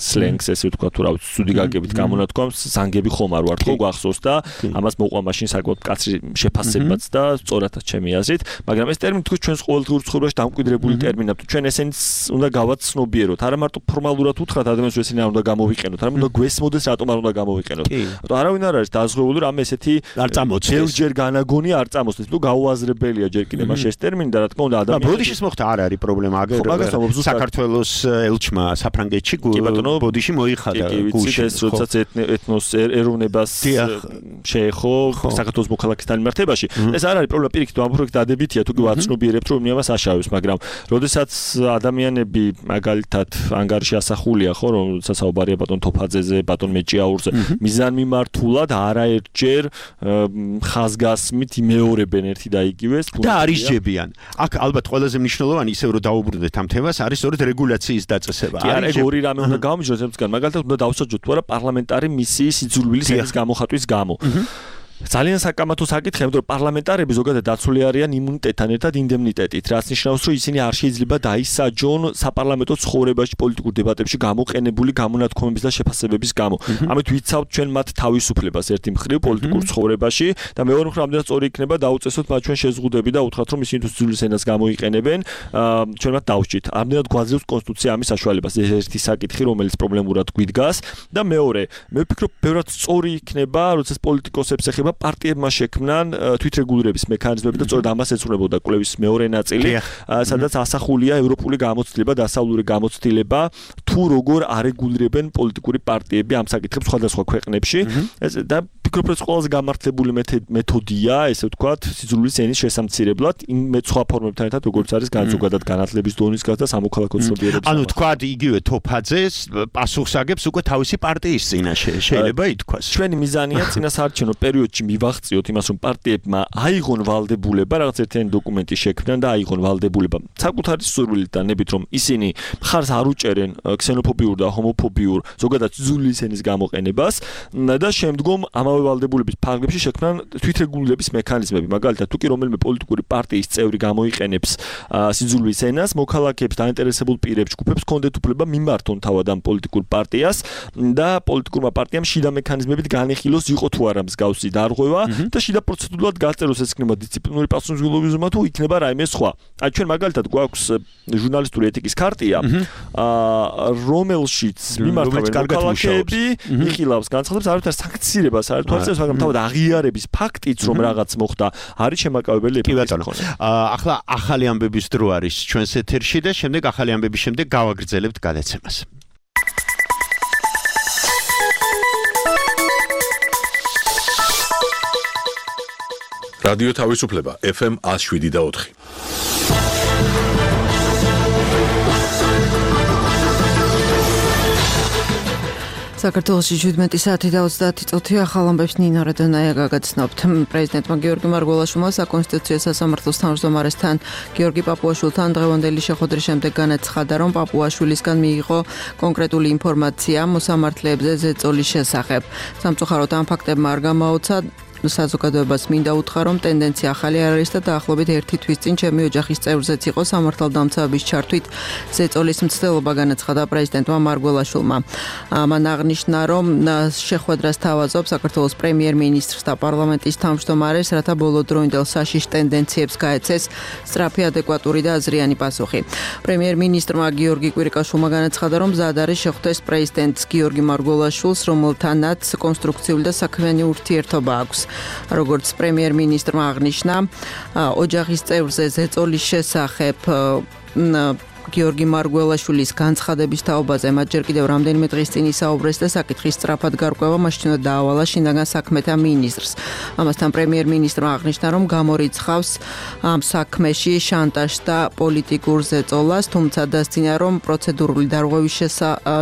სლენგს ესე ვთქვათ თუ რა ვიცი ცუდი გაგებით გამონათქვამს ზანგები ხომ არ ვართ ხო გვახსოვს და ამას მოყვა მაშინ საკმაოდ მკაცრი შეფასებაც და სწორადაც ჩემი აზრით მაგრამ ეს ტერმინი თქოს ჩვენს ყოველდღიურ ცხოვრებაში დამკვიდრებული ტერმინია თუ ჩვენ ესენს უნდა გავაცნობიეროთ არა მარტო ფორმალურად უთხრათ ადამიანს რომ ესენი არ უნდა გამოვიყენოთ არამედ უნდა გვესმოდეს რატომ არ უნდა გამოვიყენოთ რატომ არავინ არ არის დაზღვეული რომ ესეთი არ წამოწდეს ბევრჯერ განაგონი არ წამოწდეს თუ გაუაზრებელია ჯერ კიდევ მაშ ეს ტერმინი და რა თქმა უნდა ადამიანს ბოდიშის მოხდა არ არის პრობლემა აგერ საქართველოს ელჩმა საფრანგეთში ბოდიში მოიხადა გულში ეს როდესაც ეთნოს ეროვნებას შეეხო საქართველოს მოქალაქეთა მიმართებაში ეს არ არის პრობლემა პირიქით ამ პროექტ დადებითია თუ კი ვაცნობიერებთ რომ იმას აშავებს მაგრამ როდესაც ადამიანები მაგალითად ანგარიში ასახულია ხო რომ საუბარია ბატონ თოფაძეზე ბატონ მეჭიაურზე მიზანმიმართულად არაერთჯერ ხაზგასმით იმეორებენ ერთი და იგივეს და არისჯებიან აქ ალბათ ყველაზე მნიშვნელოვანი ისევ რომ დაუბრუნდეთ ამ თემას არის სწორედ რეგულაციის დაწესება არის ორი რამე უნდა გამიჯნოს ერთგან მაგალითად უნდა დავსაჯოთ თუ არა პარლამენტარი მისიის იძულვილის ენის გამოხატვის გამო ძალიან საკამათო საკითხია, იმიტომ რომ პარლამენტარები ზოგადად დაცული არიან იმუნიტეტთან ერთად ინდემნიტეტით, რაც ნიშნავს, რომ ისინი არ შეიძლება დაისაჯონ საპარლამენტო ცხოვრებაში პოლიტიკურ დებატებში გამოყენებული გამონათქვამების და შეფასებების გამო. ამით ვიცავთ ჩვენ მათ თავისუფლებას ერთი მხრივ პოლიტიკურ ცხოვრებაში და მეორე მხრივ ამდენად სწორი იქნება დაუწესოთ მათ ჩვენ შეზღუდები და უთხრათ, რომ ისინი თუ ძვლის ენას გამოიყენებენ, ჩვენ მათ დავსჯით. ამდენად გვაძლევს კონსტიტუცია ამის საშუალებას. ეს ერთი საკითხი, რომელიც პრობლემურად გვიდგას და მეორე, მე ვფიქრობ, ბევრად სწორი იქნება, როდესაც პოლიტიკოსებს ეხება პარტიებმა შექმნან თვითრეგულირების მექანიზმები და სწორედ ამას ეცნობოდა კვლევის მეორე ნაწილი, სადაც ასახულია ევროპული გამოცდილება, დასავლური გამოცდილება თუ როგორ არეგულირებენ პოლიტიკური პარტიები ამ საკითხებს სხვადასხვა ქვეყნებში ეს და ფიქრობ რომ ყველაზე გამართლებული მეთოდია ესე ვთქვათ სიძულვილის ენის შესამცირებლად იმ სხვა ფორმებთან ერთად როგორც არის განზოგადად განათლების დონის გაზრდა სამოქალაქო ცნობიერების ანუ თქვათ იგივე თოფაძეს პასუხს აგებს უკვე თავისი პარტიის წინაშე შეიძლება ითქვას ჩვენი მიზანია წინასაარჩევნო პერიოდში მივაღწიოთ იმას რომ პარტიებმა აიღონ ვალდებულება რაღაც ერთიანი დოკუმენტი შექმნან და აიღონ ვალდებულება საკუთარი სურვილით და ნებით რომ ისინი მხარს არ უჭერენ ქსენოფობიურ და ჰომოფობიურ ზოგადად სიძულვილის ენის გამოყენებას და შემდგომ ამავე ვალდებულების ფარგლებში შექმნან თვითრეგულირების მექანიზმები მაგალითად თუ კი რომელიმე პოლიტიკური პარტიის წევრი გამოიყენებს სიძულვილის ენას მოქალაქეებს დაინტერესებულ პირებს ჯგუფებს კონდეთ უფლება მიმართონ თავად ამ პოლიტიკურ პარტიას და პოლიტიკურმა პარტიამ შიდა მექანიზმებით განეხილოს იყო თუ არა მსგავსი დარღვევა და შიდა პროცედურულად გაწეროს ეს იქნება დისციპლინური პასუხისმგებლობა თუ იქნება რაიმე სხვა აი ჩვენ მაგალითად გვაქვს ჟურნალისტური ეთიკის ქარტია რომელშიც მიმართავენ მოქალაქეები იხილავს განცხადებს არავითარ სანქცირებას არ თვალსაჩინო მაგრამ თავად აღიარების ფაქტიც რომ რაღაც მოხდა არის შემაკავებელი კი ბატონო ახლა ახალი ამბების დრო არის ჩვენს ეთერში და შემდეგ ახალი ამბების შემდეგ გავაგრძელებთ გადაცემას რადიო თავისუფლება ეფ ემ one oh seven და four საქართველოში შვიდმეტი საათი და ოცდაათი წუთი ახალ ამბებს ნინო რედონაია გაგაცნობთ. პრეზიდენტმა გიორგი მარგველაშვილმა საკონსტიტუციო სასამართლოს თავმჯდომარესთან გიორგი პაპუაშვილთან დღევანდელი შეხვედრის შემდეგ განაცხადა, რომ პაპუაშვილისგან მიიღო კონკრეტული ინფორმაცია მოსამართლეებზე ზეწოლის შესახებ. სამწუხაროდ ამ ფაქტებმა არ გამაოცა საზოგადოებას მინდა უთხრა, რომ ტენდენცია ახალი არ არის და დაახლოებით ერთი თვის წინ ჩემი ოჯახის წევრზეც იყო სამართალდამცავების ჩართვით ზეწოლის მცდელობა განაცხადა პრეზიდენტმა მარგველაშვილმა. მან აღნიშნა, რომ შეხვედრას თავაზობს საქართველოს პრემიერ-მინისტრს და პარლამენტის თავმჯდომარეს, რათა ბოლოდროინდელ საშიშ ტენდენციებს გაეცეს სწრაფი, ადეკვატური და აზრიანი პასუხი. პრემიერ-მინისტრმა გიორგი კვირიკაშვილმა განაცხადა, რომ მზად არის შეხვდეს პრეზიდენტს გიორგი მარგველაშვილს, რომელთანაც კონსტრუქციული და საქმიანი ურთიერთობა აქვს. როგორც პრემიერ-მინისტრმა აღნიშნა, ოჯახის წევრზე ზეწოლის შესახებ გიორგი მარგველაშვილის განცხადების თაობაზე მათ ჯერ კიდევ რამდენიმე დღის წინ ისაუბრეს და საკითხის სწრაფად გარკვევა მაშინ უნდა დაავალა შინაგან საქმეთა მინისტრს. ამასთან პრემიერ-მინისტრმა აღნიშნა, რომ გამორიცხავს ამ საქმეში შანტაჟს და პოლიტიკურ ზეწოლას, თუმცა დასძინა, რომ პროცედურული დარღვევის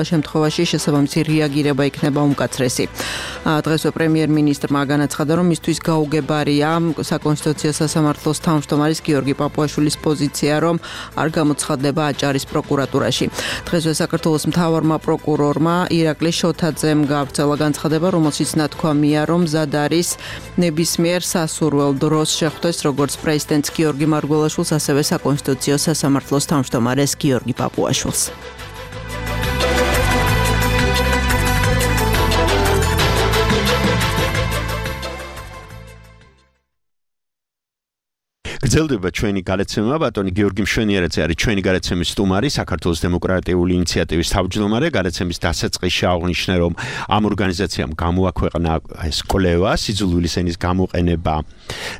შემთხვევაში შესაბამისი რეაგირება იქნება უმკაცრესი. დღესვე პრემიერ-მინისტრმა განაცხადა, რომ მისთვის გაუგებარია საკონსტიტუციო სასამართლოს თავმჯდომარის გიორგი პაპუაშვილის პოზიცია, რომ არ გამოცხადდება აჭარის პროკურატურაში. დღესვე საქართველოს მთავარმა პროკურორმა ირაკლი შოთაძემ გაავრცელა განცხადება, რომელშიც ნათქვამია, რომ მზად არის ნებისმიერ სასურველ დროს შეხვდეს როგორც პრეზიდენტს გიორგი მარგველაშვილს, ასევე საკონსტიტუციო სასამართლოს თავმჯდომარეს გიორგი პაპუაშვილს. გრძელდება ჩვენი გადაცემა, ბატონი გიორგი მშვენიერაძე არის ჩვენი გადაცემის სტუმარი, საქართველოს დემოკრატიული ინიციატივის თავმჯდომარე. გადაცემის დასაწყისში აღნიშნე, რომ ამ ორგანიზაციამ გამოაქვეყნა ეს კვლევა სიძულვილის ენის გამოყენება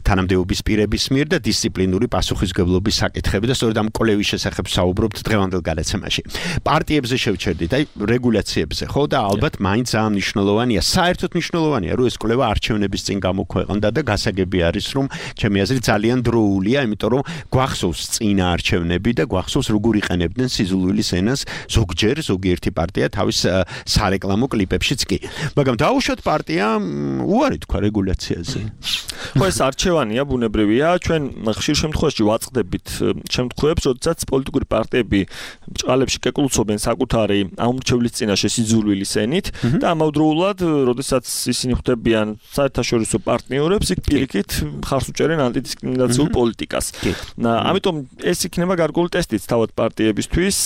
თანამდებობის პირების მიერ და დისციპლინური პასუხისმგებლობის საკითხები და სწორედ ამ კვლევის შესახებ საუბრობთ დღევანდელ გადაცემაში. პარტიებზე შევჩერდით, აი რეგულაციებზე, ხო და ალბათ მაინც ძალიან მნიშვნელოვანია, საერთოდ მნიშვნელოვანია, რომ ეს კვლევა არჩევნების წინ გამოქვეყნდა და გასაგები არის, რომ ჩემი აზრით ძალიან დრო იმიტომ რომ გვახსოვს წინა არჩევნები და გვახსოვს როგორ იყენებდნენ სიძულვილის ენას ზოგჯერ ზოგიერთი პარტია თავის სარეკლამო კლიპებშიც კი. მაგრამ დაუშვათ პარტიამ უარი თქვა რეგულაციაზე. ხო ეს არჩევანია ბუნებრივია, ჩვენ ხშირ შემთხვევაში ვაწყდებით შემთხვევებს, როდესაც პოლიტიკური პარტიები ბრჭყალებში კეკლუცობენ საკუთარი ამორჩევლის წინაშე სიძულვილის ენით და ამავდროულად, როდესაც ისინი ხვდებიან საერთაშორისო პარტნიორებს, იქ პირიქით მხარს უჭერენ ანტიდისკრიმინაციულ პოლიტიკას. ამიტომ ეს იქნება გარკვეული ტესტიც თავად პარტიებისთვის,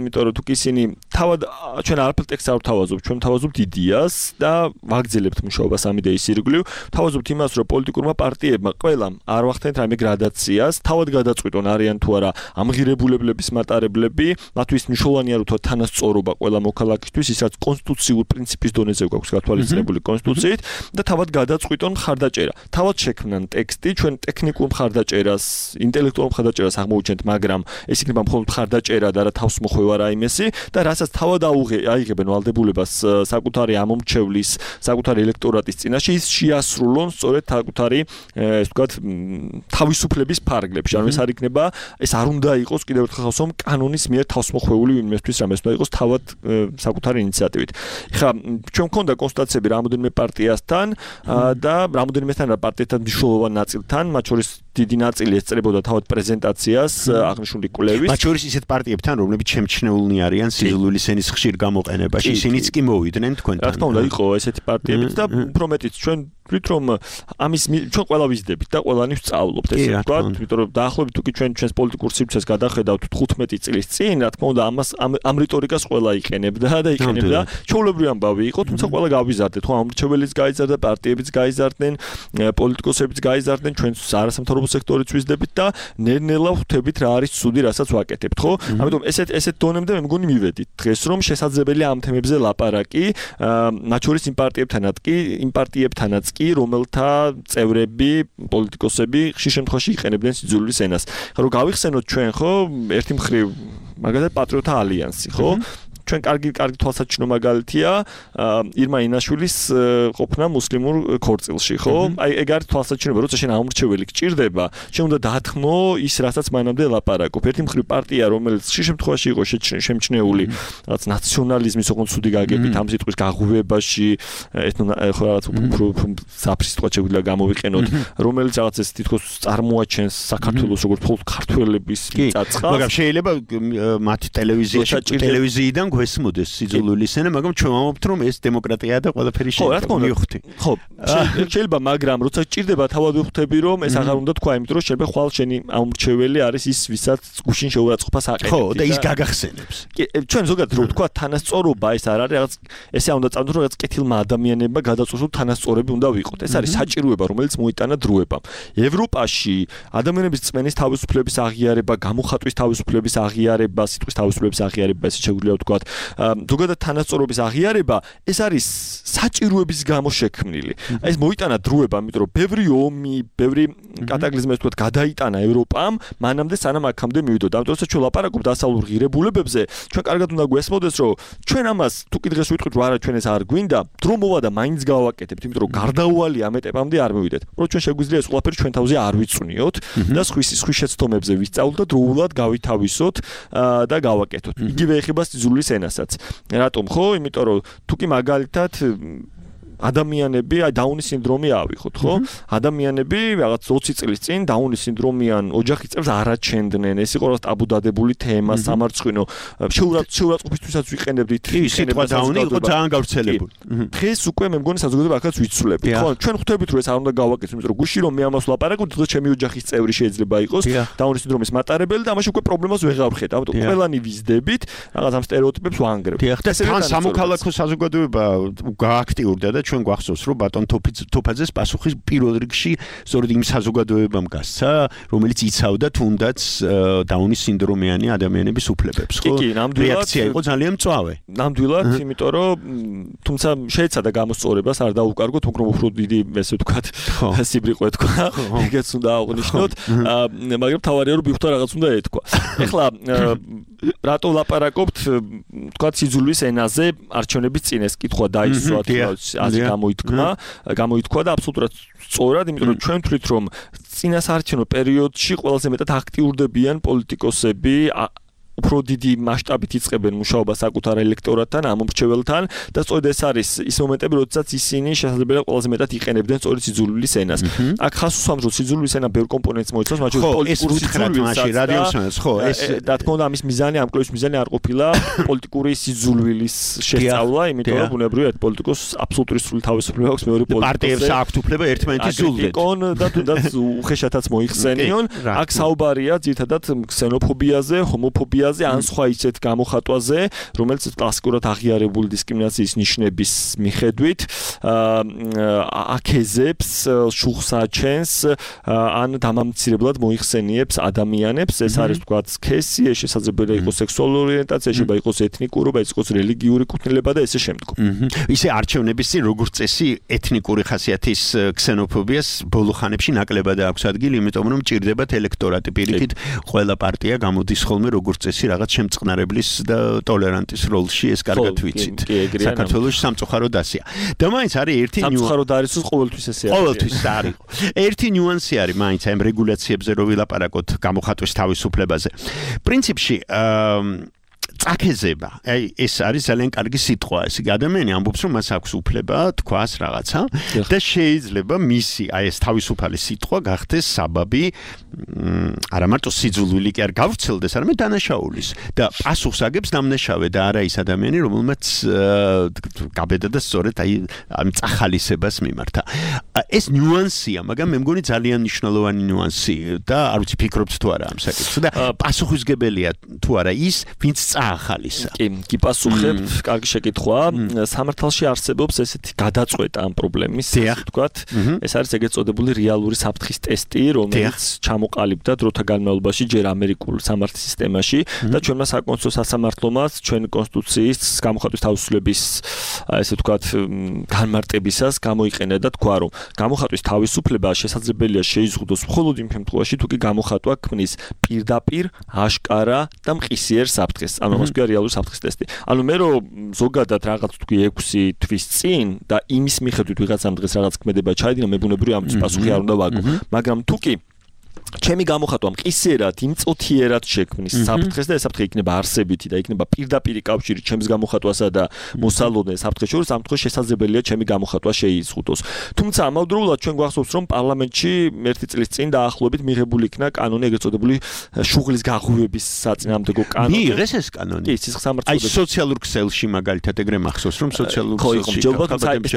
იმიტომ რომ თუ ისინი თავად ჩვენ არაფერ ტექსტს არ ვთავაზობთ, ჩვენ ვთავაზობთ იდეას და ვაგრძელებთ მუშაობას ამ იდეის ირგვლივ. ვთავაზობთ იმას, რომ პოლიტიკურმა პარტიებმა ყველამ არ ვახდენთ რაიმე გრადაციას, თავად გადაწყვიტონ არიან თუ არა ამღირებულების მატარებლები, მათთვის მნიშვნელოვანია რომ თანასწორობა ყველა მოქალაქისთვის, ის რაც კონსტიტუციურ პრინციპის დონეზე გვაქვს გათვალისწინებული კონსტიტუციით და თავად გადაწყვიტონ მხარდაჭერა. თავად შექმნან ტექსტი, ჩვენ ტექნიკურ მხარდაჭერას მხარდაჭერას, ინტელექტუალურ მხარდაჭერას აღმოუჩენთ, მაგრამ ეს იქნება მხოლოდ მხარდაჭერა და რა თავს მოხვევა რაიმესი და რასაც თავად აიღებენ ვალდებულებას საკუთარი ამომრჩევლის, საკუთარი ელექტორატის წინაშე ის შეასრულონ სწორედ საკუთარი, ეს ვთქვათ, თავისუფლების ფარგლებში. ანუ ეს არ იქნება, ეს არ უნდა იყოს კიდევ ერთხელ ხავსომ კანონის მიერ თავსმოხვეული იმისთვის, რომ ეს უნდა იყოს თავად საკუთარი ინიციატივით. ხა ჩვენ მქონდა კონსულტაციები რამოდენიმე პარტიასთან და რამოდენიმესთან პარტიასთან მნიშვნელოვან ნაწილთან, მათ შორის დიდი ნაწილი ესწრებოდა თავად პრეზენტაციას აღნიშნული კვლევის. მათ შორის ისეთ პარტიებთან, რომლებიც შემჩნეულნი არიან სიძულვილის ენის ხშირ გამოყენებაში, ისინიც კი მოვიდნენ თქვენთან. რა თქმა უნდა, იყო ესეთი პარტიებიც და უფრო მეტიც ჩვენ ვთქვით, რომ ამის ჩვენ ყველა ვიზდებით და ყველანი ვსწავლობთ, ესე ვთქვათ, იმიტომ რომ დაახლოებით თუ კი ჩვენ ჩვენს პოლიტიკურ სივრცეს გადახედავთ თხუთმეტი წლის წინ, რა თქმა უნდა, ამას ამ რიტორიკას ყველა იყენებდა და იყენებდა. ჩვეულებრივი ამბავი იყო, თუმცა ყველა გავიზარდეთ, ხო, ამრჩეველიც გაიზარდა, პარტიებიც გაიზარდნენ, პოლიტიკოსებიც გაიზარდნენ, ჩვენ არასამთავრობო სექტორიც ვიზდებით და ნელ-ნელა ხვდებით რა არის ცუდი, რასაც ვაკეთებთ, ხო? ამიტომ ესეთ ესეთ დონემდე მე მგონი მივედით დღეს, რომ შესაძლებელია ამ თემებზე ლაპარაკი, მათ შორის იმ პარტიებთანაც კი, იმ პარტიებთანაც კი, რომელთა წევრები, პოლიტიკოსები ხშირ შემთხვევაში იყენებდნენ სიძულვილის ენას. ხო, რომ გავიხსენოთ ჩვენ, ხო, ერთი მხრივ მაგალითად პატრიოტთა ალიანსი, ხო? ჩვენ კარგი კარგი თვალსაჩინო მაგალითია ირმა ინაშვილის ყოფნა მუსლიმურ ქორწილში, ხო? აი ეგ არის თვალსაჩინო, როცა შენ ამრჩეველი გჭირდება, შენ უნდა დაათმო ის, რასაც მანამდე ლაპარაკობ. ერთი მხრივ პარტია, რომელიც ხშირ შემთხვევაში იყო შემჩნეული რაღაც ნაციონალიზმის ოღონდ ცუდი გაგებით ამ სიტყვის გაღვივებაში, ეთნო ხო რაღაც უფრო საფრის სიტყვა შეგვიძლია გამოვიყენოთ, რომელიც რაღაც ეს თითქოს წარმოაჩენს საქართველოს როგორც მხოლოდ ქართველების მიწაწყალს. მაგრამ შეიძლება მათ ტელევიზიაში ტელევიზიიდან გვესმოდეს სიძულვილის ენა, მაგრამ ჩვენ ვამბობთ, რომ ეს დემოკრატია და ყველაფერი შეიძლება მივხვდი. ხო, შეიძლება, მაგრამ როცა ჭირდება თავად ვხვდები, რომ ეს აღარ უნდა თქვა, იმიტომ რომ შეიძლება ხვალ შენი ამრჩეველი არის ის, ვისაც გუშინ შეურაცხყოფას აყენებს. ხო, და ის გაგახსენებს. ჩვენ ზოგადად რო ვთქვა, თანასწორობა ეს არ არის რაღაც, ესე არ უნდა წავდოთ, რომ რაღაც კეთილმა ადამიანებმა გადაწყვეტილ თანასწორები უნდა ვიყოთ. ეს არის საჭიროება, რომელიც მოიტანა დროებამ. ევროპაში ადამიანების წმენის თავისუფლების აღიარება, გამოხატვის თავისუფლების აღიარება, სიტყვის თავისუფლების აღიარება, ესე შეგვიძლია ვთქვა, ზოგადად თანასწორობის აღიარება, ეს არის საჭიროების გამო შექმნილი. ეს მოიტანა დროებამ, იმიტომ რომ ბევრი ომი, ბევრი კატაკლიზმი, ასე ვთქვათ, გადაიტანა ევროპამ, მანამდე სანამ აქამდე მივიდოდა. ამიტომ როცა ჩვენ ლაპარაკობთ დასავლურ ღირებულებებზე, ჩვენ კარგად უნდა გვესმოდეს, რომ ჩვენ ამას თუ კი დღეს ვიტყვით, რომ არა ჩვენ ეს არ გვინდა, დრო მოვა და მაინც გავაკეთებთ, იმიტომ რომ გარდაუვალი ამ ეტაპამდე არ მივიდეთ. რომ ჩვენ შეგვიძლია ეს ყველაფერი ჩვენ თავზე არ ვიწვნიოთ და სხვის სხვის შეცდომებზე ვისწავლოთ და დროულად გავითავისოთ და გავაკეთოთ. იგივე ეხება სიძულვილის ენასაც. რატომ ხო? იმიტომ რომ თუ კი მაგალითად ადამიანები, აი დაუნის სინდრომი ავიხოთ, ხო? ადამიანები რაღაც ოცი წლის წინ დაუნის სინდრომიან ოჯახის წევრს არაჩენდნენ. ეს იყო რაღაც ტაბუდადებული თემა, სამარცხვინო. შეურაცხყოფისთვისაც ვიყენებდით. ის სიტყვა დაუნი იყო ძალიან გავრცელებული. დღეს უკვე მე მგონი საზოგადოება აქაც ვიცვლებით, ხო? ჩვენ ხვდებით, რომ ეს არ უნდა გავაკეთოთ, იმიტომ რომ გუში რომ მე ამას ვლაპარაკობ, დღეს ჩემი ოჯახის წევრი შეიძლება იყოს დაუნის სინდრომის მატარებელი და ამაში უკვე პრობლემას ვეღარ ვხედავ. ამიტომ ყველანი ვიზდებით, რაღაც ამ სტერეოტიპებს ვანგრევთ. და თან სამოქალაქო საზოგადოება გააქტიურდა და ჩვენ გვახსოვს, რომ ბატონ თოფაძეს პასუხი პირველ რიგში სწორედ იმ საზოგადოებამ გასცა, რომელიც იცავდა თუნდაც დაუნის სინდრომიანი ადამიანების უფლებებს, ხო? კი, ნამდვილად რეაქცია იყო ძალიან მწვავე. ნამდვილად, იმიტომ რომ თუმცა შეეცადა გამოსწორებას, არ დაუკარგოთ, უფრო უფრო დიდი, ესე ვთქვათ, სიბრიყვე თქვა, ეგეც უნდა აღვნიშნოთ, მაგრამ თავარია რომ ბიხთა რაღაც უნდა ეთქვა. ეხლა რატო ლაპარაკობთ, ვთქვათ, სიძულვილის ენაზე არჩევნების წინ ეს კითხვა დაისვა, ასე გამოითქმა, გამოითქვა და აბსოლუტურად სწორად, იმიტომ რომ ჩვენ ვთვლით, რომ წინასაარჩევნო პერიოდში ყველაზე მეტად აქტიურდებიან პოლიტიკოსები, უფრო დიდი მასშტაბით იწყებენ მუშაობას საკუთარ ელექტორატთან, ამომრჩეველთან და სწორედ ეს არის ის მომენტები, როდესაც ისინი შესაძლებელია ყველაზე მეტად იყენებდნენ სწორედ სიძულვილის ენას. აქ ხას უსვამს, რომ სიძულვილის ენა ბევრ კომპონენტს მოიცავს, მათ შორის პოლიტიკური სიძულვილის, რადიოსმენს, ხო, ეს და თქმა უნდა ამის მიზანი, ამ კლუბის მიზანი არ ყოფილა პოლიტიკური სიძულვილის შესწავლა, იმიტომ რომ ბუნებრივად პოლიტიკოს აბსოლუტური სრული თავისუფლება აქვს მეორე პოლიტიკოსებს. პარტიებს აქვთ უფლება ერთმანეთის ზულდეთ. იკონ და თუნდაც უხეშათაც მოიხსენიონ. აქ საუბარია ძირითადად ქსენოფობიაზე, ჰომოფობიაზე მოდელზე ან სხვა ისეთ გამოხატვაზე, რომელიც კლასიკურად აღიარებული დისკრიმინაციის ნიშნების მიხედვით აკეზებს, შუხს აჩენს ან დამამცირებლად მოიხსენიებს ადამიანებს. ეს არის თქვა სქესი, ეს შესაძლებელია იყოს სექსუალური ორიენტაცია, შეიძლება იყოს ეთნიკურობა, იყოს რელიგიური კუთვნილება და ესე შემდგომ. ისე არჩევნების წინ როგორც წესი ეთნიკური ხასიათის ქსენოფობიას ბოლო ხანებში ნაკლებად აქვს ადგილი, იმიტომ რომ ჭირდებათ ელექტორატი პირიქით ყველა პარტია გამოდის ხოლმე როგორც წესი რაღაც შემწყნარებლის და ტოლერანტის როლში, ეს კარგად ვიცით. საქართველოს სამწუხაროდ ასია. და მაინც არის ერთი სამწუხაროდ არის ის ყოველთვის ესე არის. ყოველთვის არის. ერთი ნიუანსი არის მაინც ამ რეგულაციებზე რო ვილაპარაკოთ გამოხატვის თავისუფლებაზე. პრინციპში წაქეზება. აი ეს არის ძალიან კარგი სიტყვა. ესე ადამიანი ამბობს რომ მას აქვს უფლება თქვას რაღაცა და შეიძლება მისი აი ეს თავისუფალი სიტყვა გახდეს საბაბი არა მარტო სიძულვილი კი არ გავრცელდეს, არამედ დანაშაულის და პასუხს აგებს დამნაშავე და არა ის ადამიანი, რომელმაც გაბედა და სწორედ აი ამ წახალისებას მიმართა. ეს ნიუანსია, მაგრამ მე მგონი ძალიან მნიშვნელოვანი ნიუანსი და არ ვიცი ფიქრობთ თუ არა ამ საკითხს და პასუხისგებელია თუ არა ის, ვინც ახალისა. კი, კი პასუხებთ, კარგი შეკითხვაა. სამართალში არსებობს ესეთი გადაწყვეტა ამ პრობლემის, ასე ვთქვათ. ეს არის ეგრეთ წოდებული რეალური საფრთხის ტესტი, რომელიც ჩამოყალიბდა დროთა განმავლობაში ჯერ ამერიკულ სამართლის სისტემაში და ჩვენმა საკონსტიტუციო სასამართლომაც ჩვენ კონსტიტუციის გამოხატვის თავისუფლების, ასე ვთქვათ, განმარტებისას გამოიყენა და თქვა, რომ გამოხატვის თავისუფლება შესაძლებელია შეიზღუდოს მხოლოდ იმ შემთხვევაში, თუ კი გამოხატვა ქმნის პირდაპირ, აშკარა და მყისიერ საფრთხეს. ანუ მას ქვია რეალური საფრთხის ტესტი. ანუ მე რომ ზოგადად რაღაც თქვი ექვსი თვის წინ და იმის მიხედვით ვიღაცამ დღეს რაღაც ქმედება ჩაიდინა, მე ბუნებრივია ამის პასუხი არ უნდა ვაგო. მაგრამ თუ კი ჩემი გამოხატვა მყისიერად, იმწოთიერად შექმნის საფრთხეს და ეს საფრთხე იქნება არსებითი და იქნება პირდაპირი კავშირი ჩემს გამოხატვასა და მოსალოდნელ საფრთხეს შორის, ამ შემთხვევაში შესაძლებელია ჩემი გამოხატვა შეიზღუდოს. თუმცა ამავდროულად ჩვენ გვახსოვს, რომ პარლამენტში ერთი წლის წინ დაახლოებით მიღებული იქნა კანონი, ეგრეთ წოდებული შუღლის გაღვივების საწინააღმდეგო კანონი. მიიღეს ეს კანონი? კი, სისხლის სამართლოდები. აი სოციალურ ქსელში მაგალითად ეგრე მახსოვს, რომ სოციალურ ქსელში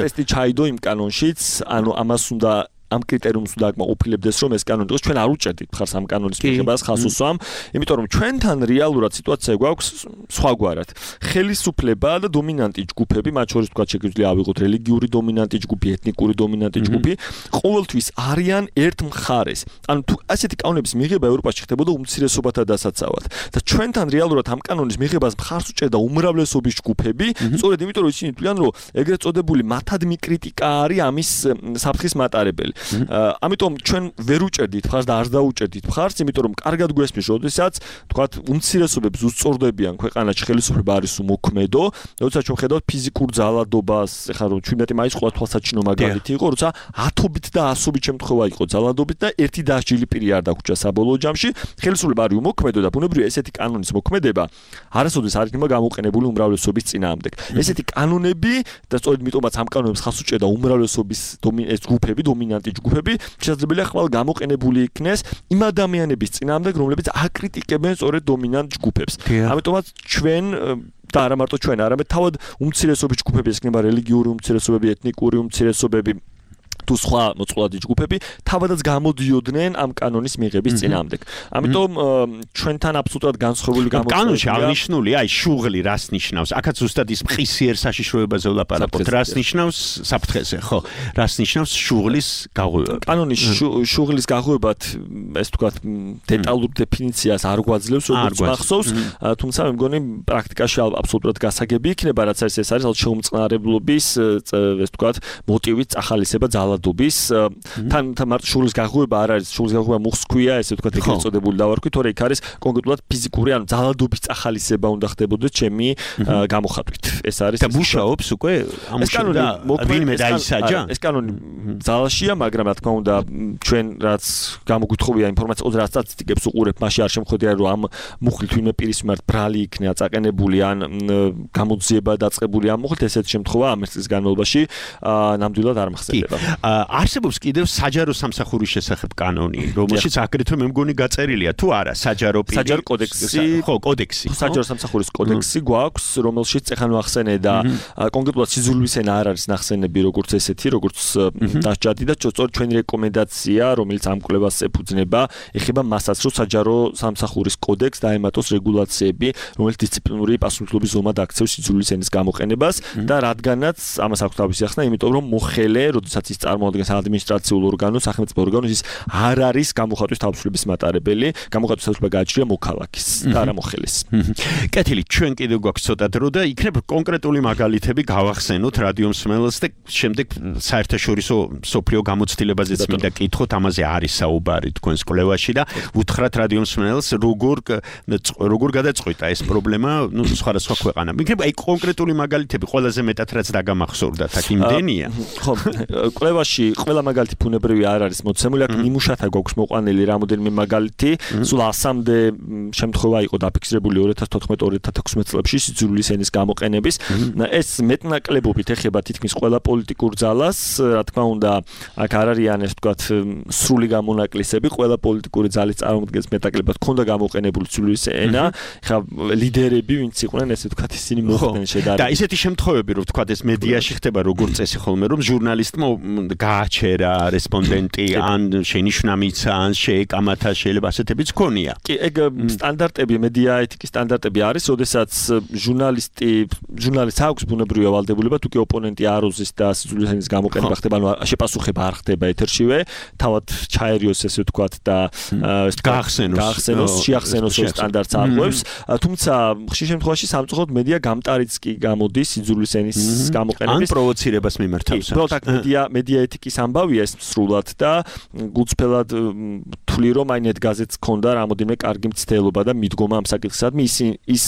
ტესტი ჩაიდო იმ კანონშიც, ანუ ამას უნდა ამ კრიტერიუმს უნდა აკმაყოფილებდეს, რომ ეს კანონი იყოს, ჩვენ არ უჭერდით მხარს ამ კანონის მიღებას ხალხს უსვამ, იმიტომ რომ ჩვენთან რეალურად სიტუაცია გვაქვს სხვაგვარად. ხელისუფლება და დომინანტი ჯგუფები, მათ შორის თქვა შეგვიძლია ავიღოთ რელიგიური დომინანტი ჯგუფი, ეთნიკური დომინანტი ჯგუფი, ყოველთვის არიან ერთ მხარეს. ანუ თუ ასეთი კანონების მიღება ევროპაში ხდებოდა უმცირესობათა დასაცავად და ჩვენთან რეალურად ამ კანონის მიღებას მხარს უჭერდა უმრავლესობის ჯგუფები, სწორედ იმიტომ რომ ისინი თვლიან, რომ ეგრეთ წოდებული მათადმი კრიტიკა არის ამის საფრთხის მატარებელი. ამიტომ ჩვენ ვერ უჭერდით მხარს და არ დაუჭერდით მხარს, იმიტომ რომ კარგად გვესმის, როდესაც თქვათ უმცირესობებს უსწორდებიან ქვეყანაში ხელისუფლება არის უმოქმედო, როდესაც ჩვენ ხედავთ ფიზიკურ ძალადობას, ეხლა რომ ჩვენეთი მაინც ყველა თვალსაჩინო მაგალითი იყო, როცა ათობით და ასობით შემთხვევა იყო ძალადობით და ერთი დასჯილი პირი არ დაგვრჩა საბოლოო ჯამში, ხელისუფლება არის უმოქმედო და ბუნებრივია ესეთი კანონის მოქმედება არასოდეს არ იქნება გამოყენებული უმრავლესობის წინააღმდეგ. ესეთი კანონები და სწორედ მიტომაც ამ კანონებს ხალხს უჭერდა უმრავლესობის ეს ჯგუფები, დომინანტი ჯგუფები შესაძლებელია ხვალ გამოყენებული იქნეს იმ ადამიანების წინააღმდეგ, რომლებიც აკრიტიკებენ სწორედ დომინანტ ჯგუფებს. ამიტომაც ჩვენ და არა მარტო ჩვენ, არამედ თავად უმცირესობის ჯგუფები, ეს იქნება რელიგიური უმცირესობები, ეთნიკური უმცირესობები თუ სხვა მოწყვლადი ჯგუფები თავადაც გამოდიოდნენ ამ კანონის მიღების წინააღმდეგ. ამიტომ ჩვენთან აბსოლუტურად განსხვავებული გამოწვევა. კანონში აღნიშნული, აი შუღლი რას ნიშნავს? აქაც ზუსტად ის მყისიერ საშიშროებაზე ვლაპარაკობთ. რას ნიშნავს საფრთხეზე, ხო? რას ნიშნავს შუღლის გაღვივება? კანონის შუღლის გაღვივებად ეს თქვათ დეტალურ დეფინიციას არ გვაძლევს, როგორც მახსოვს, თუმცა მე მგონი პრაქტიკაში აბსოლუტურად გასაგები იქნება, რაც არის ეს არის შეუმწყნარებლობის ეს თქვათ მოტივით წახალისება ძალადობის თან მარტო შუღლის გაღვივება არ არის, შუღლის გაღვივება მოხსქვია, ესე ვთქვათ, ეგრეთ წოდებული დავარქვით, თორე იქ არის კონკრეტულად ფიზიკური, ანუ ძალადობის წახალისება უნდა ხდებოდეს ჩემი გამოხატვით. ეს არის და მუშაობს უკვე ამუშავდა ვინმე დაისაჯა? ეს კანონი ძალაშია, მაგრამ რა თქმა უნდა, ჩვენ რაც გამოგვითხოვია ინფორმაცია, რაც სტატისტიკებს უყურებ, მაშინ არ შემოხვედრია, რომ ამ მუხლით ვინმე პირის მიმართ ბრალი იქნება წაყენებული ან გამოძიება დაწყებული ამ მუხლით, ესეთი შემთხვევა ამ წლის განმავლობაში ნამდვილად არ მახსენდება. არსებობს კიდევ საჯარო სამსახურის შესახებ კანონი, რომელშიც აგრეთვე მე მგონი გაწერილია თუ არა საჯარო პირი. საჯარო კოდექსი, ხო, კოდექსი. საჯარო სამსახურის კოდექსი გვაქვს, რომელშიც ეხლა ნახსენე და კონკრეტულად სიძულვის ენა არ არის ნახსენები როგორც ესეთი, როგორც დასჯადი და სწორედ ჩვენი რეკომენდაცია, რომელიც ამ კვლევას ეფუძნება, ეხება მასაც, რომ საჯარო სამსახურის კოდექსს დაემატოს რეგულაციები, რომელიც დისციპლინური პასუხისმგებლობის ზომად აქცევს სიძულვის ენის გამოყენებას და რადგანაც ამას აქვს თავისი ახსნა, იმიტომ რომ მოხელე, როდესაც ის წარმოადგენს ადმინისტრაციულ ორგანოს, სახელმწიფო ორგანოს, ის არ არის გამოხატვის თავისუფლების მატარებელი, გამოხატვის თავისუფლება გააჩნია მოქალაქის და არა მოხელის. კეთილი, ჩვენ კიდევ გვაქვს ცოტა დრო და იქნებ კონკრეტული მაგალითები გავახსენოთ რადიო მსმენელს და შემდეგ საერთაშორისო სოფლიო გამოცდილებაზეც მინდა კითხოთ, ამაზე არის საუბარი თქვენს კვლევაში და უთხრათ რადიო მსმენელს როგორ როგორ გადაწყვიტა ეს პრობლემა, ну, სხვადასხვა ქვეყანა. იქნებ აი კონკრეტული მაგალითები ყველაზე მეტად რაც დაგამახსოვრდათ, აქ იმდენია. ხო, კვლევაში ყველა მაგალითი ფუნებრივი არ არის მოცემული, აქ ნიმუშათა გვაქვს მოყვანილი რამოდენიმე მაგალითი, სულ ასამდე შემთხვევა იყო დაფიქსირებული ორი ათას თოთხმეტ ორი ათას ექვსმეტ წლებში სიძულვის ენის გამოყენების. ეს მეტნაკლებობით ეხება თითქმის ყველა პოლიტიკურ ძალას, რა თქმა უნდა, აქ არ არიან ეს ვთქვათ სრული გამონაკლისები, ყველა პოლიტიკური ძალის წარმოადგენს მეტნაკლებად ქონდა გამოყენებული სიძულვის ენა, ხა ლიდერები ვინც იყვნენ, ესე ვთქვათ, ისინი მოხდნენ შედარებით. და ისეთი შემთხვევები, რომ ვთქვათ ეს მედიაში ხდება როგორც წესი ხოლმე, რომ ჟურნალისტმა გააჩერა რესპონდენტი, ან შენიშვნა მიცა, ან შეეკამათა, შეიძლება ასეთებიც ქონია. კი, ეგ სტანდარტები, მედია ეთიკის სტანდარტები არის, როდესაც ჟურნალისტი, ჟურნალისტს აქვს ბუნებრივი ავალდებულება, თუ კი ოპონენტი აროზის და სიძულვის ენის გამოყენება ხდება, ანუ შეპასუხება არ ხდება ეთერშივე, თავად ჩაერიოს ესე ვთქვათ და გაახსენოს, გაახსენოს, შეახსენოს ეს სტანდარტს არღვევს. თუმცა ხშირ შემთხვევაში სამწუხაროდ მედია გამტარიც კი გამოდის სიძულვის ენის გამოყენების ან პროვოცირებას მიმართავს. უბრალოდ აქ მედია მედია ეთიკის ამბავია ეს სრულად და გულწრფელად თვლი რომ აი ნეტგაზეთს ქონდა რამოდენიმე კარგი მცდელობა და მიდგომა ამ საკითხსადმი ის ის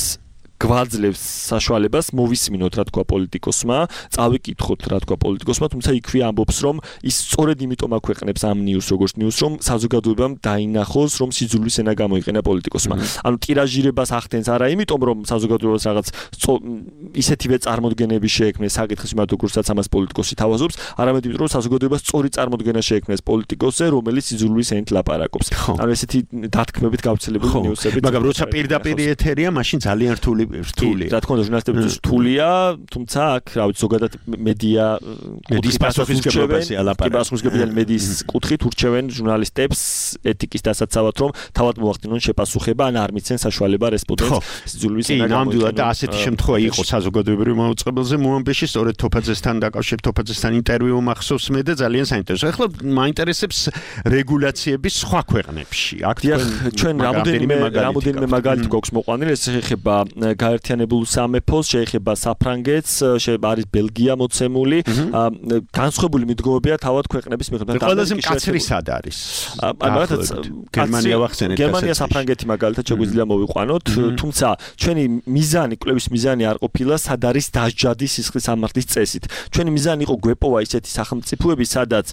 გვაძლევს საშუალებას მოვისმინოთ რა თქვა პოლიტიკოსმა, წავიკითხოთ რა თქვა პოლიტიკოსმა, თუმცა იქვე ამბობს რომ ის სწორედ იმიტომ აქვეყნებს ამ ნიუს როგორც ნიუს რომ საზოგადოებამ დაინახოს რომ სიძულვის ენა გამოიყენა პოლიტიკოსმა. ანუ ტირაჟირებას ახდენს არა იმიტომ რომ საზოგადოებას რაღაც ისეთივე წარმოდგენები შეექმნეს საკითხის მიმართ როგორცაც ამას პოლიტიკოსი თავაზობს, არამედ იმიტომ რომ საზოგადოებას სწორი წარმოდგენა შეექმნეს პოლიტიკოსზე, რომელიც სიძულვის ენით ლაპარაკობს. ანუ ესეთი დათქმებით გავრცელებული ნიუსები. მაგრამ როცა პირდაპირ ეთერია, მაშინ ძალიან რთული რთული. რა თქმა უნდა, ჟურნალისტებისთვის რთულია, თუმცა აქ, რა ვიცი, ზოგადად მედია მედიის პასუხისმგებლობაზე ალაპარაკი. პასუხისმგებლობიანი მედიის კუთხით ურჩევენ ჟურნალისტებს ეთიკის დასაცავად, რომ თავად მოახდინონ შეპასუხება, ან არ მიცენ საშუალება რესპონდენტს სიძულვის ენა გამოიყენოს. ნამდვილად და ასეთი შემთხვევა იყო საზოგადოებრივ მაუწყებელზე მოამბეში, სწორედ თოფაძესთან დაკავშირებით თოფაძესთან ინტერვიუ მახსოვს მე და ძალიან საინტერესო. ახლა მაინტერესებს რეგულაციების სხვა ქვეყნებში. აქ ჩვენ რამოდენიმე რამოდენიმე მაგალითი გვაქვს მოყვანილი, ეს ეხება გაერთიანებულ სამეფოს, შეეხება საფრანგეთს, შეეხება არის ბელგია მოცემული, განსხვავებული მიდგომებია თავად ქვეყნების მიხედვით. ყველაზე მკაცრი სად არის? მაგალითად, გერმანია ვახსენეთ. გერმანია საფრანგეთი მაგალითად შეგვიძლია მოვიყვანოთ, თუმცა ჩვენი მიზანი, კვლევის მიზანი არ ყოფილა სად არის დასჯადი სისხლის ამართლის წესით. ჩვენი მიზანი იყო გვეპოვა ისეთი სახელმწიფოები, სადაც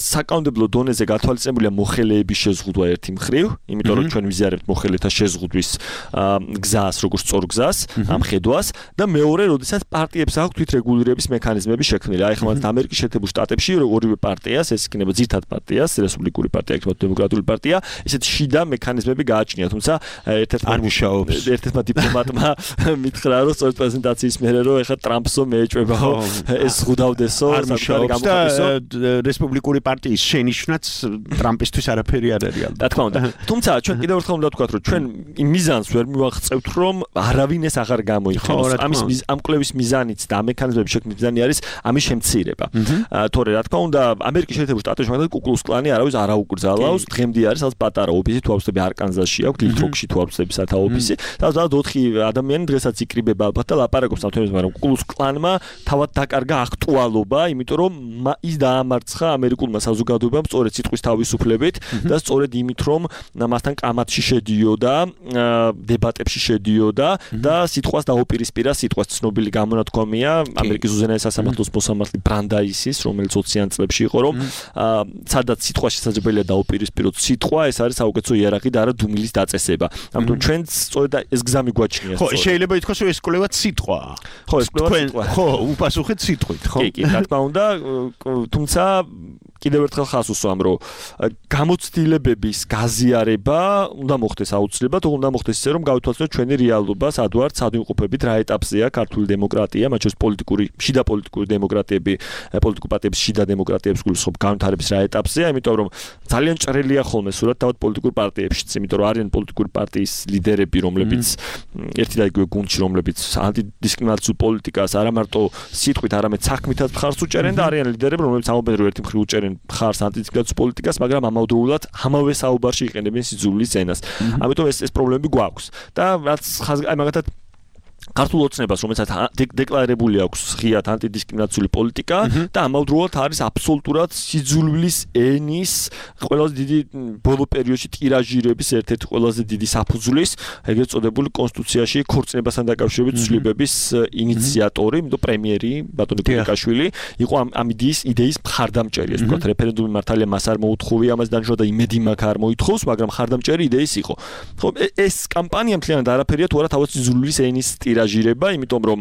საკანონმდებლო დონეზე გათვალისწინებულია მოხელეების შეზღუდვა ერთი მხრივ, იმიტომ რომ ჩვენ ვიზიარებთ მოხელეთა შეზღუდვის გზას, როგორც სწორ გზას, ამ ხედვას და მეორე, როდესაც პარტიებს აქვს თვითრეგულირების მექანიზმები შექმნილი. აი ხმად ამერიკის შეერთებულ შტატებში ორივე პარტიას, ეს იქნება ძირითად პარტიას, რესპუბლიკური პარტია, იქნება დემოკრატიული პარტია, ესეთ შიდა მექანიზმები გააჩნია, თუმცა ერთ-ერთმა არ მუშაობს. ერთ-ერთმა დიპლომატმა მითხრა, რომ სწორედ პრეზენტაციის მერე რომ ეხლა ტრამპსო მეეჭვებაო, ეს ზღუდავდესო, არ მუშაობს და რესპუბლიკური პარტიის შენიშვნაც ტრამპისთვის არაფერი არ არის ალბათ. რა თქმა უნდა. თუმცა ჩვენ კიდევ ერთხელ უნდა ვთქვათ, რომ ჩვენ იმ მიზანს ვერ მივაღწევთ, რომ არავინ ეს აღარ გამოიყენოს. ამის ამ კვლევის მიზანიც და მექანიზმების შექმნის მიზანი არის ამის შემცირება. თორე რა თქმა უნდა, ამერიკის შეერთებულ შტატებში მაგალითად კუკლუქს კლანი არავის არ აუკრძალავს, დღემდე არის სადაც პატარა ოფისი, თუ ავსები არკანზასში აქვს, ლითროქში თუ ავსები სათა ოფისი, და სადაც ოთხი ადამიანი დღესაც იკრიბება ალბათ და ლაპარაკობს ამ თემებზე, მაგრამ კუკლუქს კლანმა თავად დაკარგა აქტუალობა, იმიტომ რომ ის დაამარცხა ამერიკულმა საზოგადოებამ სწორედ სიტყვის თავისუფლებით და სწორედ იმით, რომ მასთან კამათში შედიოდა, დებატებში შედიოდა მიდოდა და სიტყვას დაუპირისპირა სიტყვას ცნობილი გამონათქვამია ამერიკის უზენაეს სასამართლოს მოსამართლე ბრანდაისის, რომელიც ოციან წლებში იყო, რომ სადაც სიტყვა შესაძლებელია დაუპირისპიროთ სიტყვა, ეს არის საუკეთესო იარაღი და არა დუმილის დაწესება. ამიტომ ჩვენც სწორედ ეს გზა მიგვაჩნია. ხო, შეიძლება ითქვას, რომ ეს კვლევა სიტყვაა. ხო, ეს კვლევა სიტყვაა. ხო, უპასუხეთ სიტყვით, ხო? კი, კი, რა თქმა უნდა, თუმცა კიდევ ერთხელ ხას უსვამ, რომ გამოცდილებების გაზიარება უნდა მოხდეს აუცილებლად, უნდა მოხდეს ისე, რომ გავითვალისწინოთ ჩვენი რეალობა, სად ვართ, სად ვიმყოფებით, რა ეტაპზეა ქართული დემოკრატია, მათ შორის პოლიტიკური, შიდა პოლიტიკური დემოკრატიები, პოლიტიკურ პარტიების შიდა დემოკრატიების გულისხმობ განვითარების რა ეტაპზეა, იმიტომ რომ ძალიან ჭრელია ხოლმე სურათ თავად პოლიტიკურ პარტიებშიც, იმიტომ რომ არიან პოლიტიკური პარტიის ლიდერები, რომლებიც ერთი და იგივე გუნდში, რომლებიც ანტიდისკრიმინაციულ პოლიტიკას არა მარტო სიტყვით, არამედ საქმითაც მხარს უჭერენ და არიან ლიდერები, რომლებიც ამობენ რომ ერთი მხრივ უჭერენ ხარს ანტიდისკრიმინაციულ პოლიტიკას, მაგრამ ამავდროულად ამავე საუბარში იყენებენ სიძულვილის ენას. ამიტომ ეს ეს პრობლემები გვაქვს. და რაც აი მაგათად ქართულ ოცნებას, რომელსაც დეკლარირებული აქვს ღიად ანტიდისკრიმინაციული პოლიტიკა და ამავდროულად არის აბსოლუტურად სიძულვილის ენის ყველაზე დიდი ბოლო პერიოდში ტირაჟირების ერთ-ერთი ყველაზე დიდი საფუძვლის, ეგრეთ წოდებული კონსტიტუციაში ქორწინებასთან დაკავშირებით ცვლილებების ინიციატორი, იმიტომ პრემიერი ბატონი კულიკაშვილი იყო ამ ამ იდეის იდეის მხარდამჭერი, ეს ვთქვათ, რეფერენდუმი მართალია მას არ მოუთხოვია, ამას დანიშნვა და იმედი მაქვს არ მოითხოვს, მაგრამ მხარდამჭერი იდეის იყო. ხო, ეს კამპანია მთლიანად არაფერია თუ არა თავად სიძულვილის ენის ტირაჟირება, იმიტომ რომ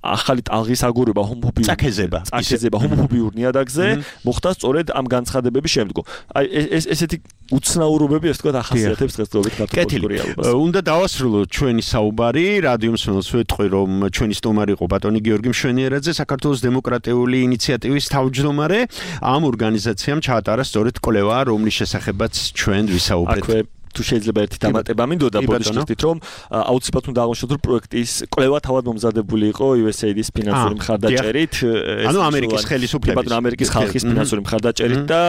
ახალი ტალღის აგორება ჰომოფობიურ წაქეზება, წაქეზება ჰომოფობიურ ნიადაგზე მოხდა სწორედ ამ განცხადებების შემდგომ. აი ეს ესეთი უცნაურობები, ასე ვთქვათ, ახასიათებს დღესდღეობით ქართულ რეალობას. უნდა დავასრულოთ ჩვენი საუბარი, რადიო მსმენელს ვეთქვი, რომ ჩვენი სტუმარი იყო ბატონი გიორგი მშვენიერაძე, საქართველოს დემოკრატიული ინიციატივის თავმჯდომარე. ამ ორგანიზაციამ ჩაატარა სწორედ კვლევა, რომლის შესახებაც ჩვენ ვისაუბრეთ. თუ შეიძლება ერთი დამატება მინდოდა ბოდიშტით, რომ აუცილებლად უნდა აღმოჩნდეთ, რომ პროექტის კვლევა თავად მომზადებული იყო იუ ეს ეი-ის ფინანსური მხარდაჭერით, ანუ ამერიკის ხელისუფლების, ბატონ ამერიკის ხალხის ფინანსური მხარდაჭერით და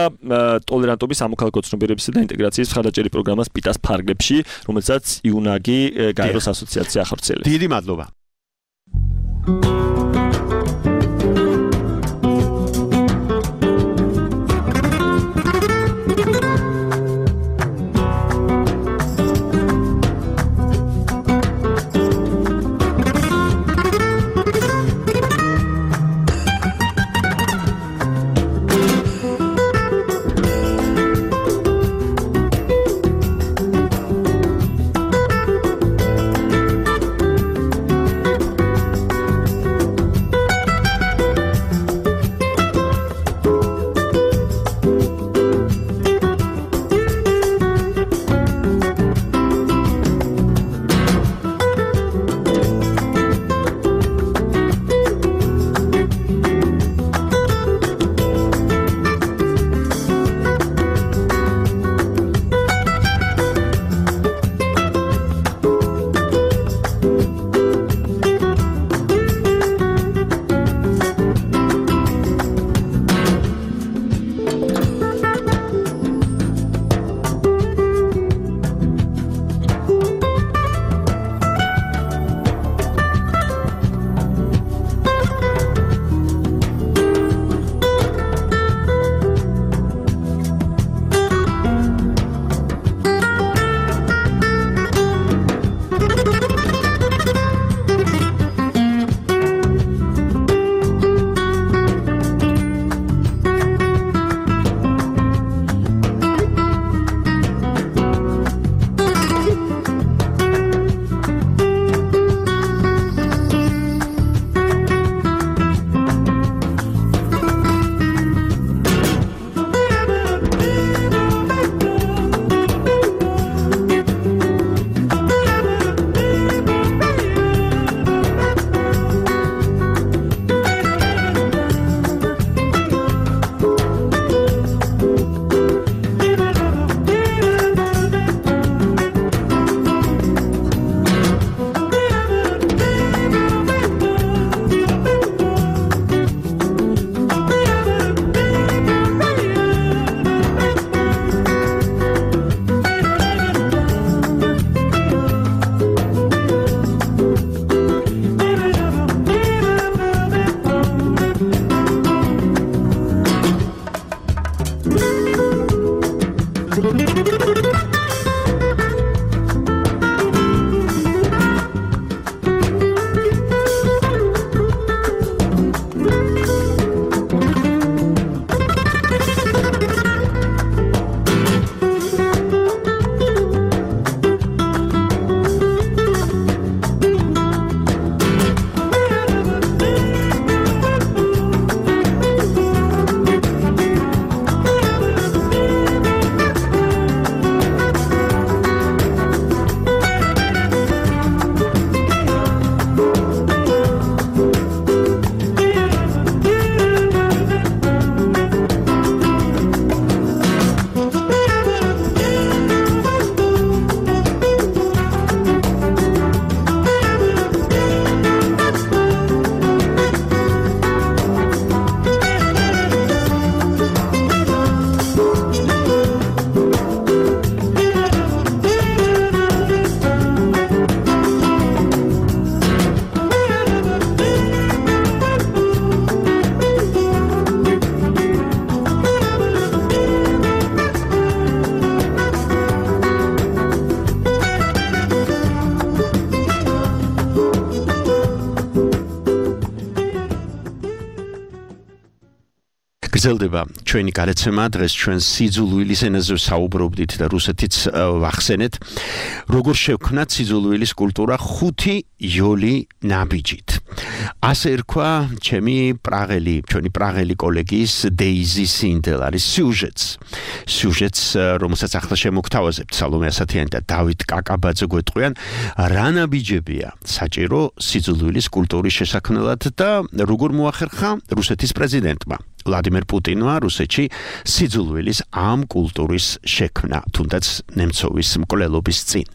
ტოლერანტობის სამოქალაქო ცნობიერებისა და ინტეგრაციის მხარდაჭერის პროგრამას პიტას ფარგლებში, რომელსაც იუნაგი გაეროს ასოციაცია ახორციელებს. დიდი მადლობა. გრძელდება ჩვენი გადაცემა, დღეს ჩვენ სიძულვილის ენაზე საუბრობდით და რუსეთიც ვახსენეთ, როგორ შევქმნათ სიძულვილის კულტურა ხუთი იოლი ნაბიჯით. ასე ერქვა ჩემი პრაღელი, ჩვენი პრაღელი კოლეგის დეიზი სინდელ არის სიუჟეტს. სიუჟეტს, რომელსაც ახლა შემოგთავაზებთ სალომე ასათიანი და დავით კაკაბაძე გვეტყვიან, რა ნაბიჯებია საჭირო სიძულვილის კულტურის შესაქმნელად და როგორ მოახერხა რუსეთის პრეზიდენტმა ვლადიმერ პუტინმა რუსეთში სიძულვილის ამ კულტურის შექმნა, თუნდაც ნემცოვის მკვლელობის წინ.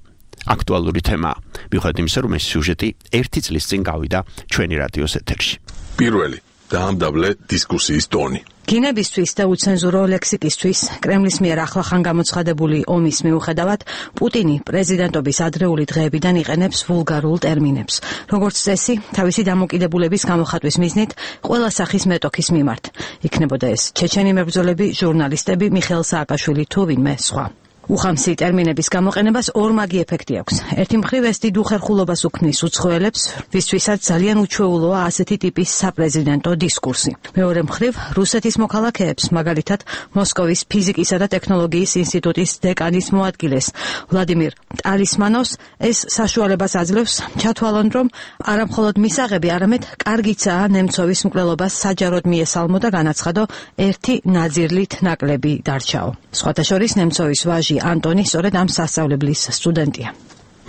აქტუალური თემაა, მიუხედავად იმისა, რომ ეს სიუჟეტი ერთი წლის წინ გავიდა ჩვენი რადიოს ეთერში. პირველი დაამდაბლე დისკუსიის ტონი. გინებისთვის და უცენზურო ლექსიკისთვის კრემლის მიერ ახლახან გამოცხადებული ომის მიუხედავად, პუტინი პრეზიდენტობის ადრეული დღეებიდან იყენებს ვულგარულ ტერმინებს. როგორც წესი, თავისი დამოკიდებულების გამოხატვის მიზნით ყველა სახის მეტოქის მიმართ. იქნებოდა ეს ჩეჩენი მებრძოლები, ჟურნალისტები, მიხეილ სააკაშვილი თუ ვინმე სხვა. უხამსი ტერმინების გამოყენებას ორმაგი ეფექტი აქვს. ერთი მხრივ ეს დიდ უხერხულობას უქმნის უცხოელებს, ვისთვისაც ძალიან უჩვეულოა ასეთი ტიპის საპრეზიდენტო დისკურსი. მეორე მხრივ რუსეთის მოქალაქეებს, მაგალითად მოსკოვის ფიზიკისა და ტექნოლოგიის ინსტიტუტის დეკანის მოადგილეს ვლადიმირ ტალისმანოვს ეს საშუალებას აძლევს ჩათვალონ, რომ არა მხოლოდ მისაღები, არამედ კარგიცაა ნემცოვის მკვლელობას საჯაროდ მიესალმო და განაცხადო ერთი ნაძირლით ნაკლები დარჩაო. სხვათა შორის ნემცოვის ვაჟი ანტონი სწორედ ამ სასწავლებლის სტუდენტია.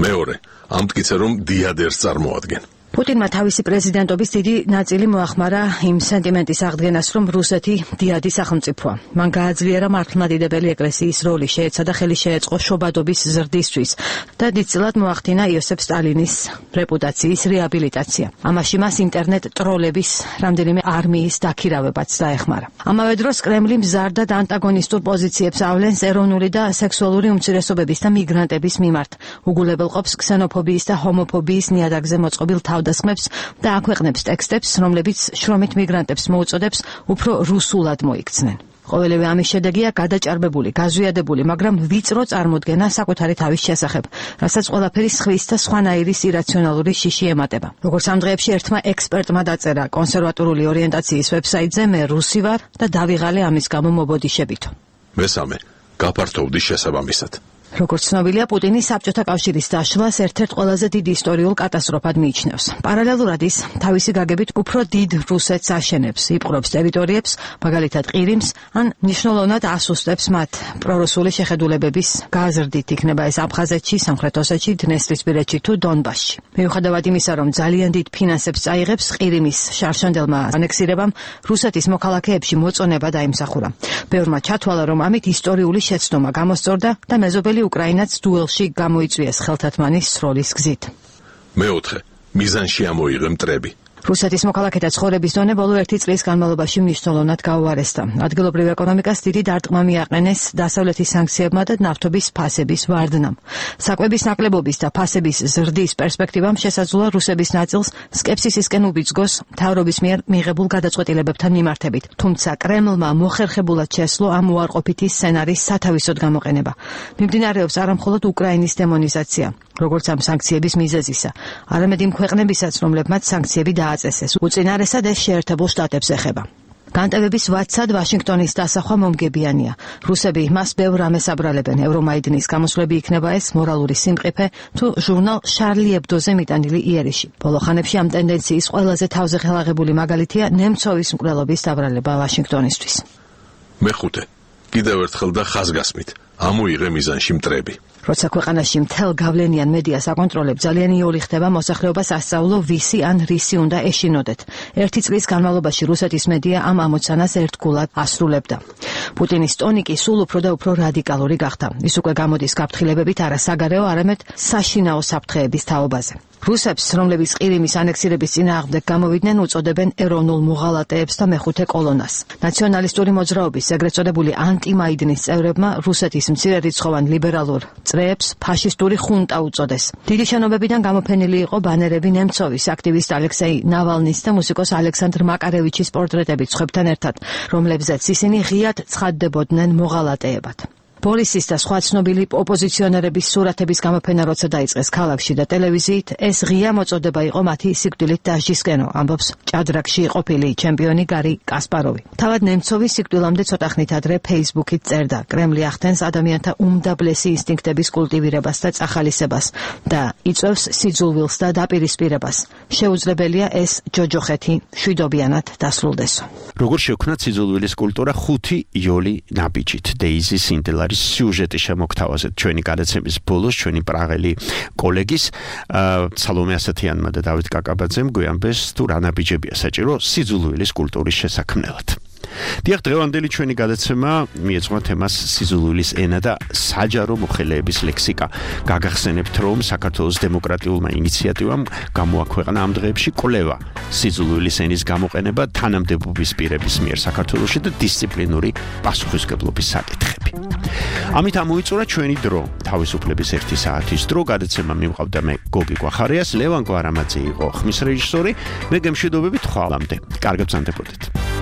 მეორე, ამტკიცე რომ დიადერს წარმოადგენ. პუტინმა თავისი პრეზიდენტობის დიდი ნაწილი მოახმარა იმ სენტიმენტის აღდგენას, რომ რუსეთი დიადი სახელმწიფოა. მან გააძლიერა მართლმადიდებელი ეკლესიის როლი, შეეცადა ხელი შეეწყო შობადობის ზრდისთვის და დიდწილად მოახდინა იოსებ სტალინის რეპუტაციის რეაბილიტაცია. ამაში მას ინტერნეტ ტროლების რამდენიმე არმიის დაქირავებაც დაეხმარა. ამავე დროს კრემლი მზარ და ანტაგონისტურ პოზიციებს ავლენს ეროვნული და სექსუალური უმცირესობების და მიგრანტების მიმართ. უგულებელყოფს ქსენოფობიის და ჰომოფობიის ნიადაგზე მოწყობილ თავდასხმებს და აქვეყნებს ტექსტებს, რომლებიც შრომით მიგრანტებს მოუწოდებს უფრო რუსულად მოიქცნენ. ყოველივე ამის შედეგია გადაჭარბებული, გაზვიადებული, მაგრამ ვიწრო წარმოდგენა საკუთარი თავის შესახებ, რასაც ყველაფერი სხვის და სხვანაირის ირაციონალური შიში ემატება. როგორც ამ დღეებში ერთმა ექსპერტმა დაწერა კონსერვატიული ორიენტაციის ვებსაიტზე, მე რუსი ვარ და დავიღალე ამის გამო მობოდიშებითო. მესამე, გაფართოვდი შესაბამისად. როგორც ცნობილია, პუტინი საბჭოთა კავშირის დაშლას ერთ-ერთ ყველაზე დიდ ისტორიულ კატასტროფად მიიჩნევს. პარალელურად ის თავისი გაგებით უფრო დიდ რუსეთს აშენებს, იპყრობს ტერიტორიებს, მაგალითად ყირიმს, ან მნიშვნელოვნად ასუსტებს მათ პრორუსული შეხედულებების გაზრდით, იქნება ეს აფხაზეთში, სამხრეთ ოსეთში, დნესტრისპირეთში თუ დონბასში. მიუხედავად იმისა, რომ ძალიან დიდ ფინანსებს წაიღებს ყირიმის შარშანდელმა ანექსირებამ, რუსეთის მოქალაქეებში მოწონება დაიმსახურა. ბევრმა ჩათვალა, რომ ამით ისტორიული შეცდომა გამოსწორდა და მეზობელი უკრაინაც დუელში გამოიწვიეს ხელთათმანის სროლის გზით. მეოთხე, მიზანში ამოიღე მტრები. რუსეთის მოქალაქეთა ცხოვრების დონე ბოლო ერთი წლის განმავლობაში მნიშვნელოვნად გაუარესდა. ადგილობრივ ეკონომიკას დიდი დარტყმა მიაყენეს დასავლეთის სანქციებმა და ნავთობის ფასების ვარდნამ. საკვების ნაკლებობის და ფასების ზრდის პერსპექტივამ შესაძლოა რუსების ნაწილს სკეპსისისკენ უბიძგოს მთავრობის მიერ მიღებულ გადაწყვეტილებებთან მიმართებით. თუმცა კრემლმა მოხერხებულად შესძლო ამ უარყოფითი სცენარის სათავისოდ გამოყენება. მიმდინარეობს არამხოლოდ უკრაინის დემონიზაცია, როგორც ამ სანქციების მიზეზისა, არამედ იმ ქვეყნებისაც, რომლებმაც სანქციები დააწესეს. უწინარესად ეს შეერთებულ შტატებს ეხება. განტევების ვაცად ვაშინგტონის დასახვა მომგებიანია. რუსები მას ბევრ რამეს აბრალებენ. ევრომაიდნის გამოსვლები იქნება ეს მორალური სიმყიფე თუ ჟურნალ შარლი ებდოზე მიტანილი იერიში. ბოლო ხანებში ამ ტენდენციის ყველაზე თავზე ხელაღებული მაგალითია ნემცოვის მკვლელობის დაბრალება ვაშინგტონისთვის. მეხუთე, კიდევ ერთხელ და ხაზგასმით, ამოიღე მიზანში მტრები. როცა ქვეყანაში მთელ გავლენიან მედიას აკონტროლებ, ძალიან იოლი ხდება მოსახლეობას ასწავლო ვისი ან რისი უნდა ეშინოდეთ. ერთი წლის განმავლობაში რუსეთის მედია ამ ამოცანას ერთგულად ასრულებდა. პუტინის ტონი კი სულ უფრო და უფრო რადიკალური გახდა. ის უკვე გამოდის გაფრთხილებებით არა საგარეო, არამედ საშინაო საფრთხეების თაობაზე. რუსებს, რომლებიც ყირიმის ანექსირების წინააღმდეგ გამოვიდნენ, უწოდებენ ეროვნულ მოღალატეებს და მეხუთე კოლონას. ნაციონალისტური მოძრაობის, ეგრეთ წოდებული ანტიმაიდნის წევრებმა რუსეთის მცირერიცხოვან ლიბერალურ წრეებს ფაშისტური ხუნტა უწოდეს. დიდი შენობებიდან გამოფენილი იყო ბანერები ნემცოვის, აქტივისტ ალექსეი ნავალნის და მუსიკოს ალექსანდრ მაკარევიჩის პორტრეტებით სხვებთან ერთად, რომლებზეც ისინი ღიად ცხადდებოდნენ მოღალატეებად. ბორისის და სხვა ცნობილი ოპოზიციონერების სურათების გამოფენა როცა დაიწყეს ქალაქში და ტელევიზიით, ეს ღია მოწოდება იყო მათი სიკვდილით დასჯისკენო, ამბობს ჭადრაკში ყოფილი ჩემპიონი გარი კასპაროვი. თავად ნემცოვი სიკვდილამდე ცოტა ხნით ადრე Facebook-ით წერდა: კრემლი ახდენს ადამიანთა უმდაბლესი ინსტინქტების კულტივირებას და წახალისებას და იწვევს სიძულვილს და დაპირისპირებას. შეუძლებელია ეს ჯოჯოხეთი მშვიდობიანად დასრულდეს. როგორ შევქნათ სიძულვილის კულტურა ხუთი იოლი ნაბიჯით. დეიზი სინდელარის სიუჟეტი შემოგთავაზეთ ჩვენი გადაცემის ბოლოს ჩვენი პრაღელი კოლეგის სალომე ასათიანმა და დავით კაკაბაძემ გვიამბეს თუ რა ნაბიჯებია საჭირო სიძულვილის კულტურის შესაქმნელად. დიახ, დღევანდელი ჩვენი გადაცემა მიეძღვნა თემას სიძულვილის ენა და საჯარო მოხელეების ლექსიკა. გაგახსენებთ, რომ საქართველოს დემოკრატიულმა ინიციატივამ გამოაქვეყნა ამ დღეებში კვლევა სიძულვილის ენის გამოყენება თანამდებობის პირების მიერ საქართველოში და დისციპლინური პასუხისმგებლობის საკითხები. ამით ამოიწურა ჩვენი დრო, თავისუფლების ერთი საათის დრო. გადაცემა მიმყავდა მე გოგი გვახარიას, ლევან გვარამაძე იყო ხმის რეჟისორი. მე გემშვიდობებით ხვალამდე. კარგად ბრძანდებოდეთ.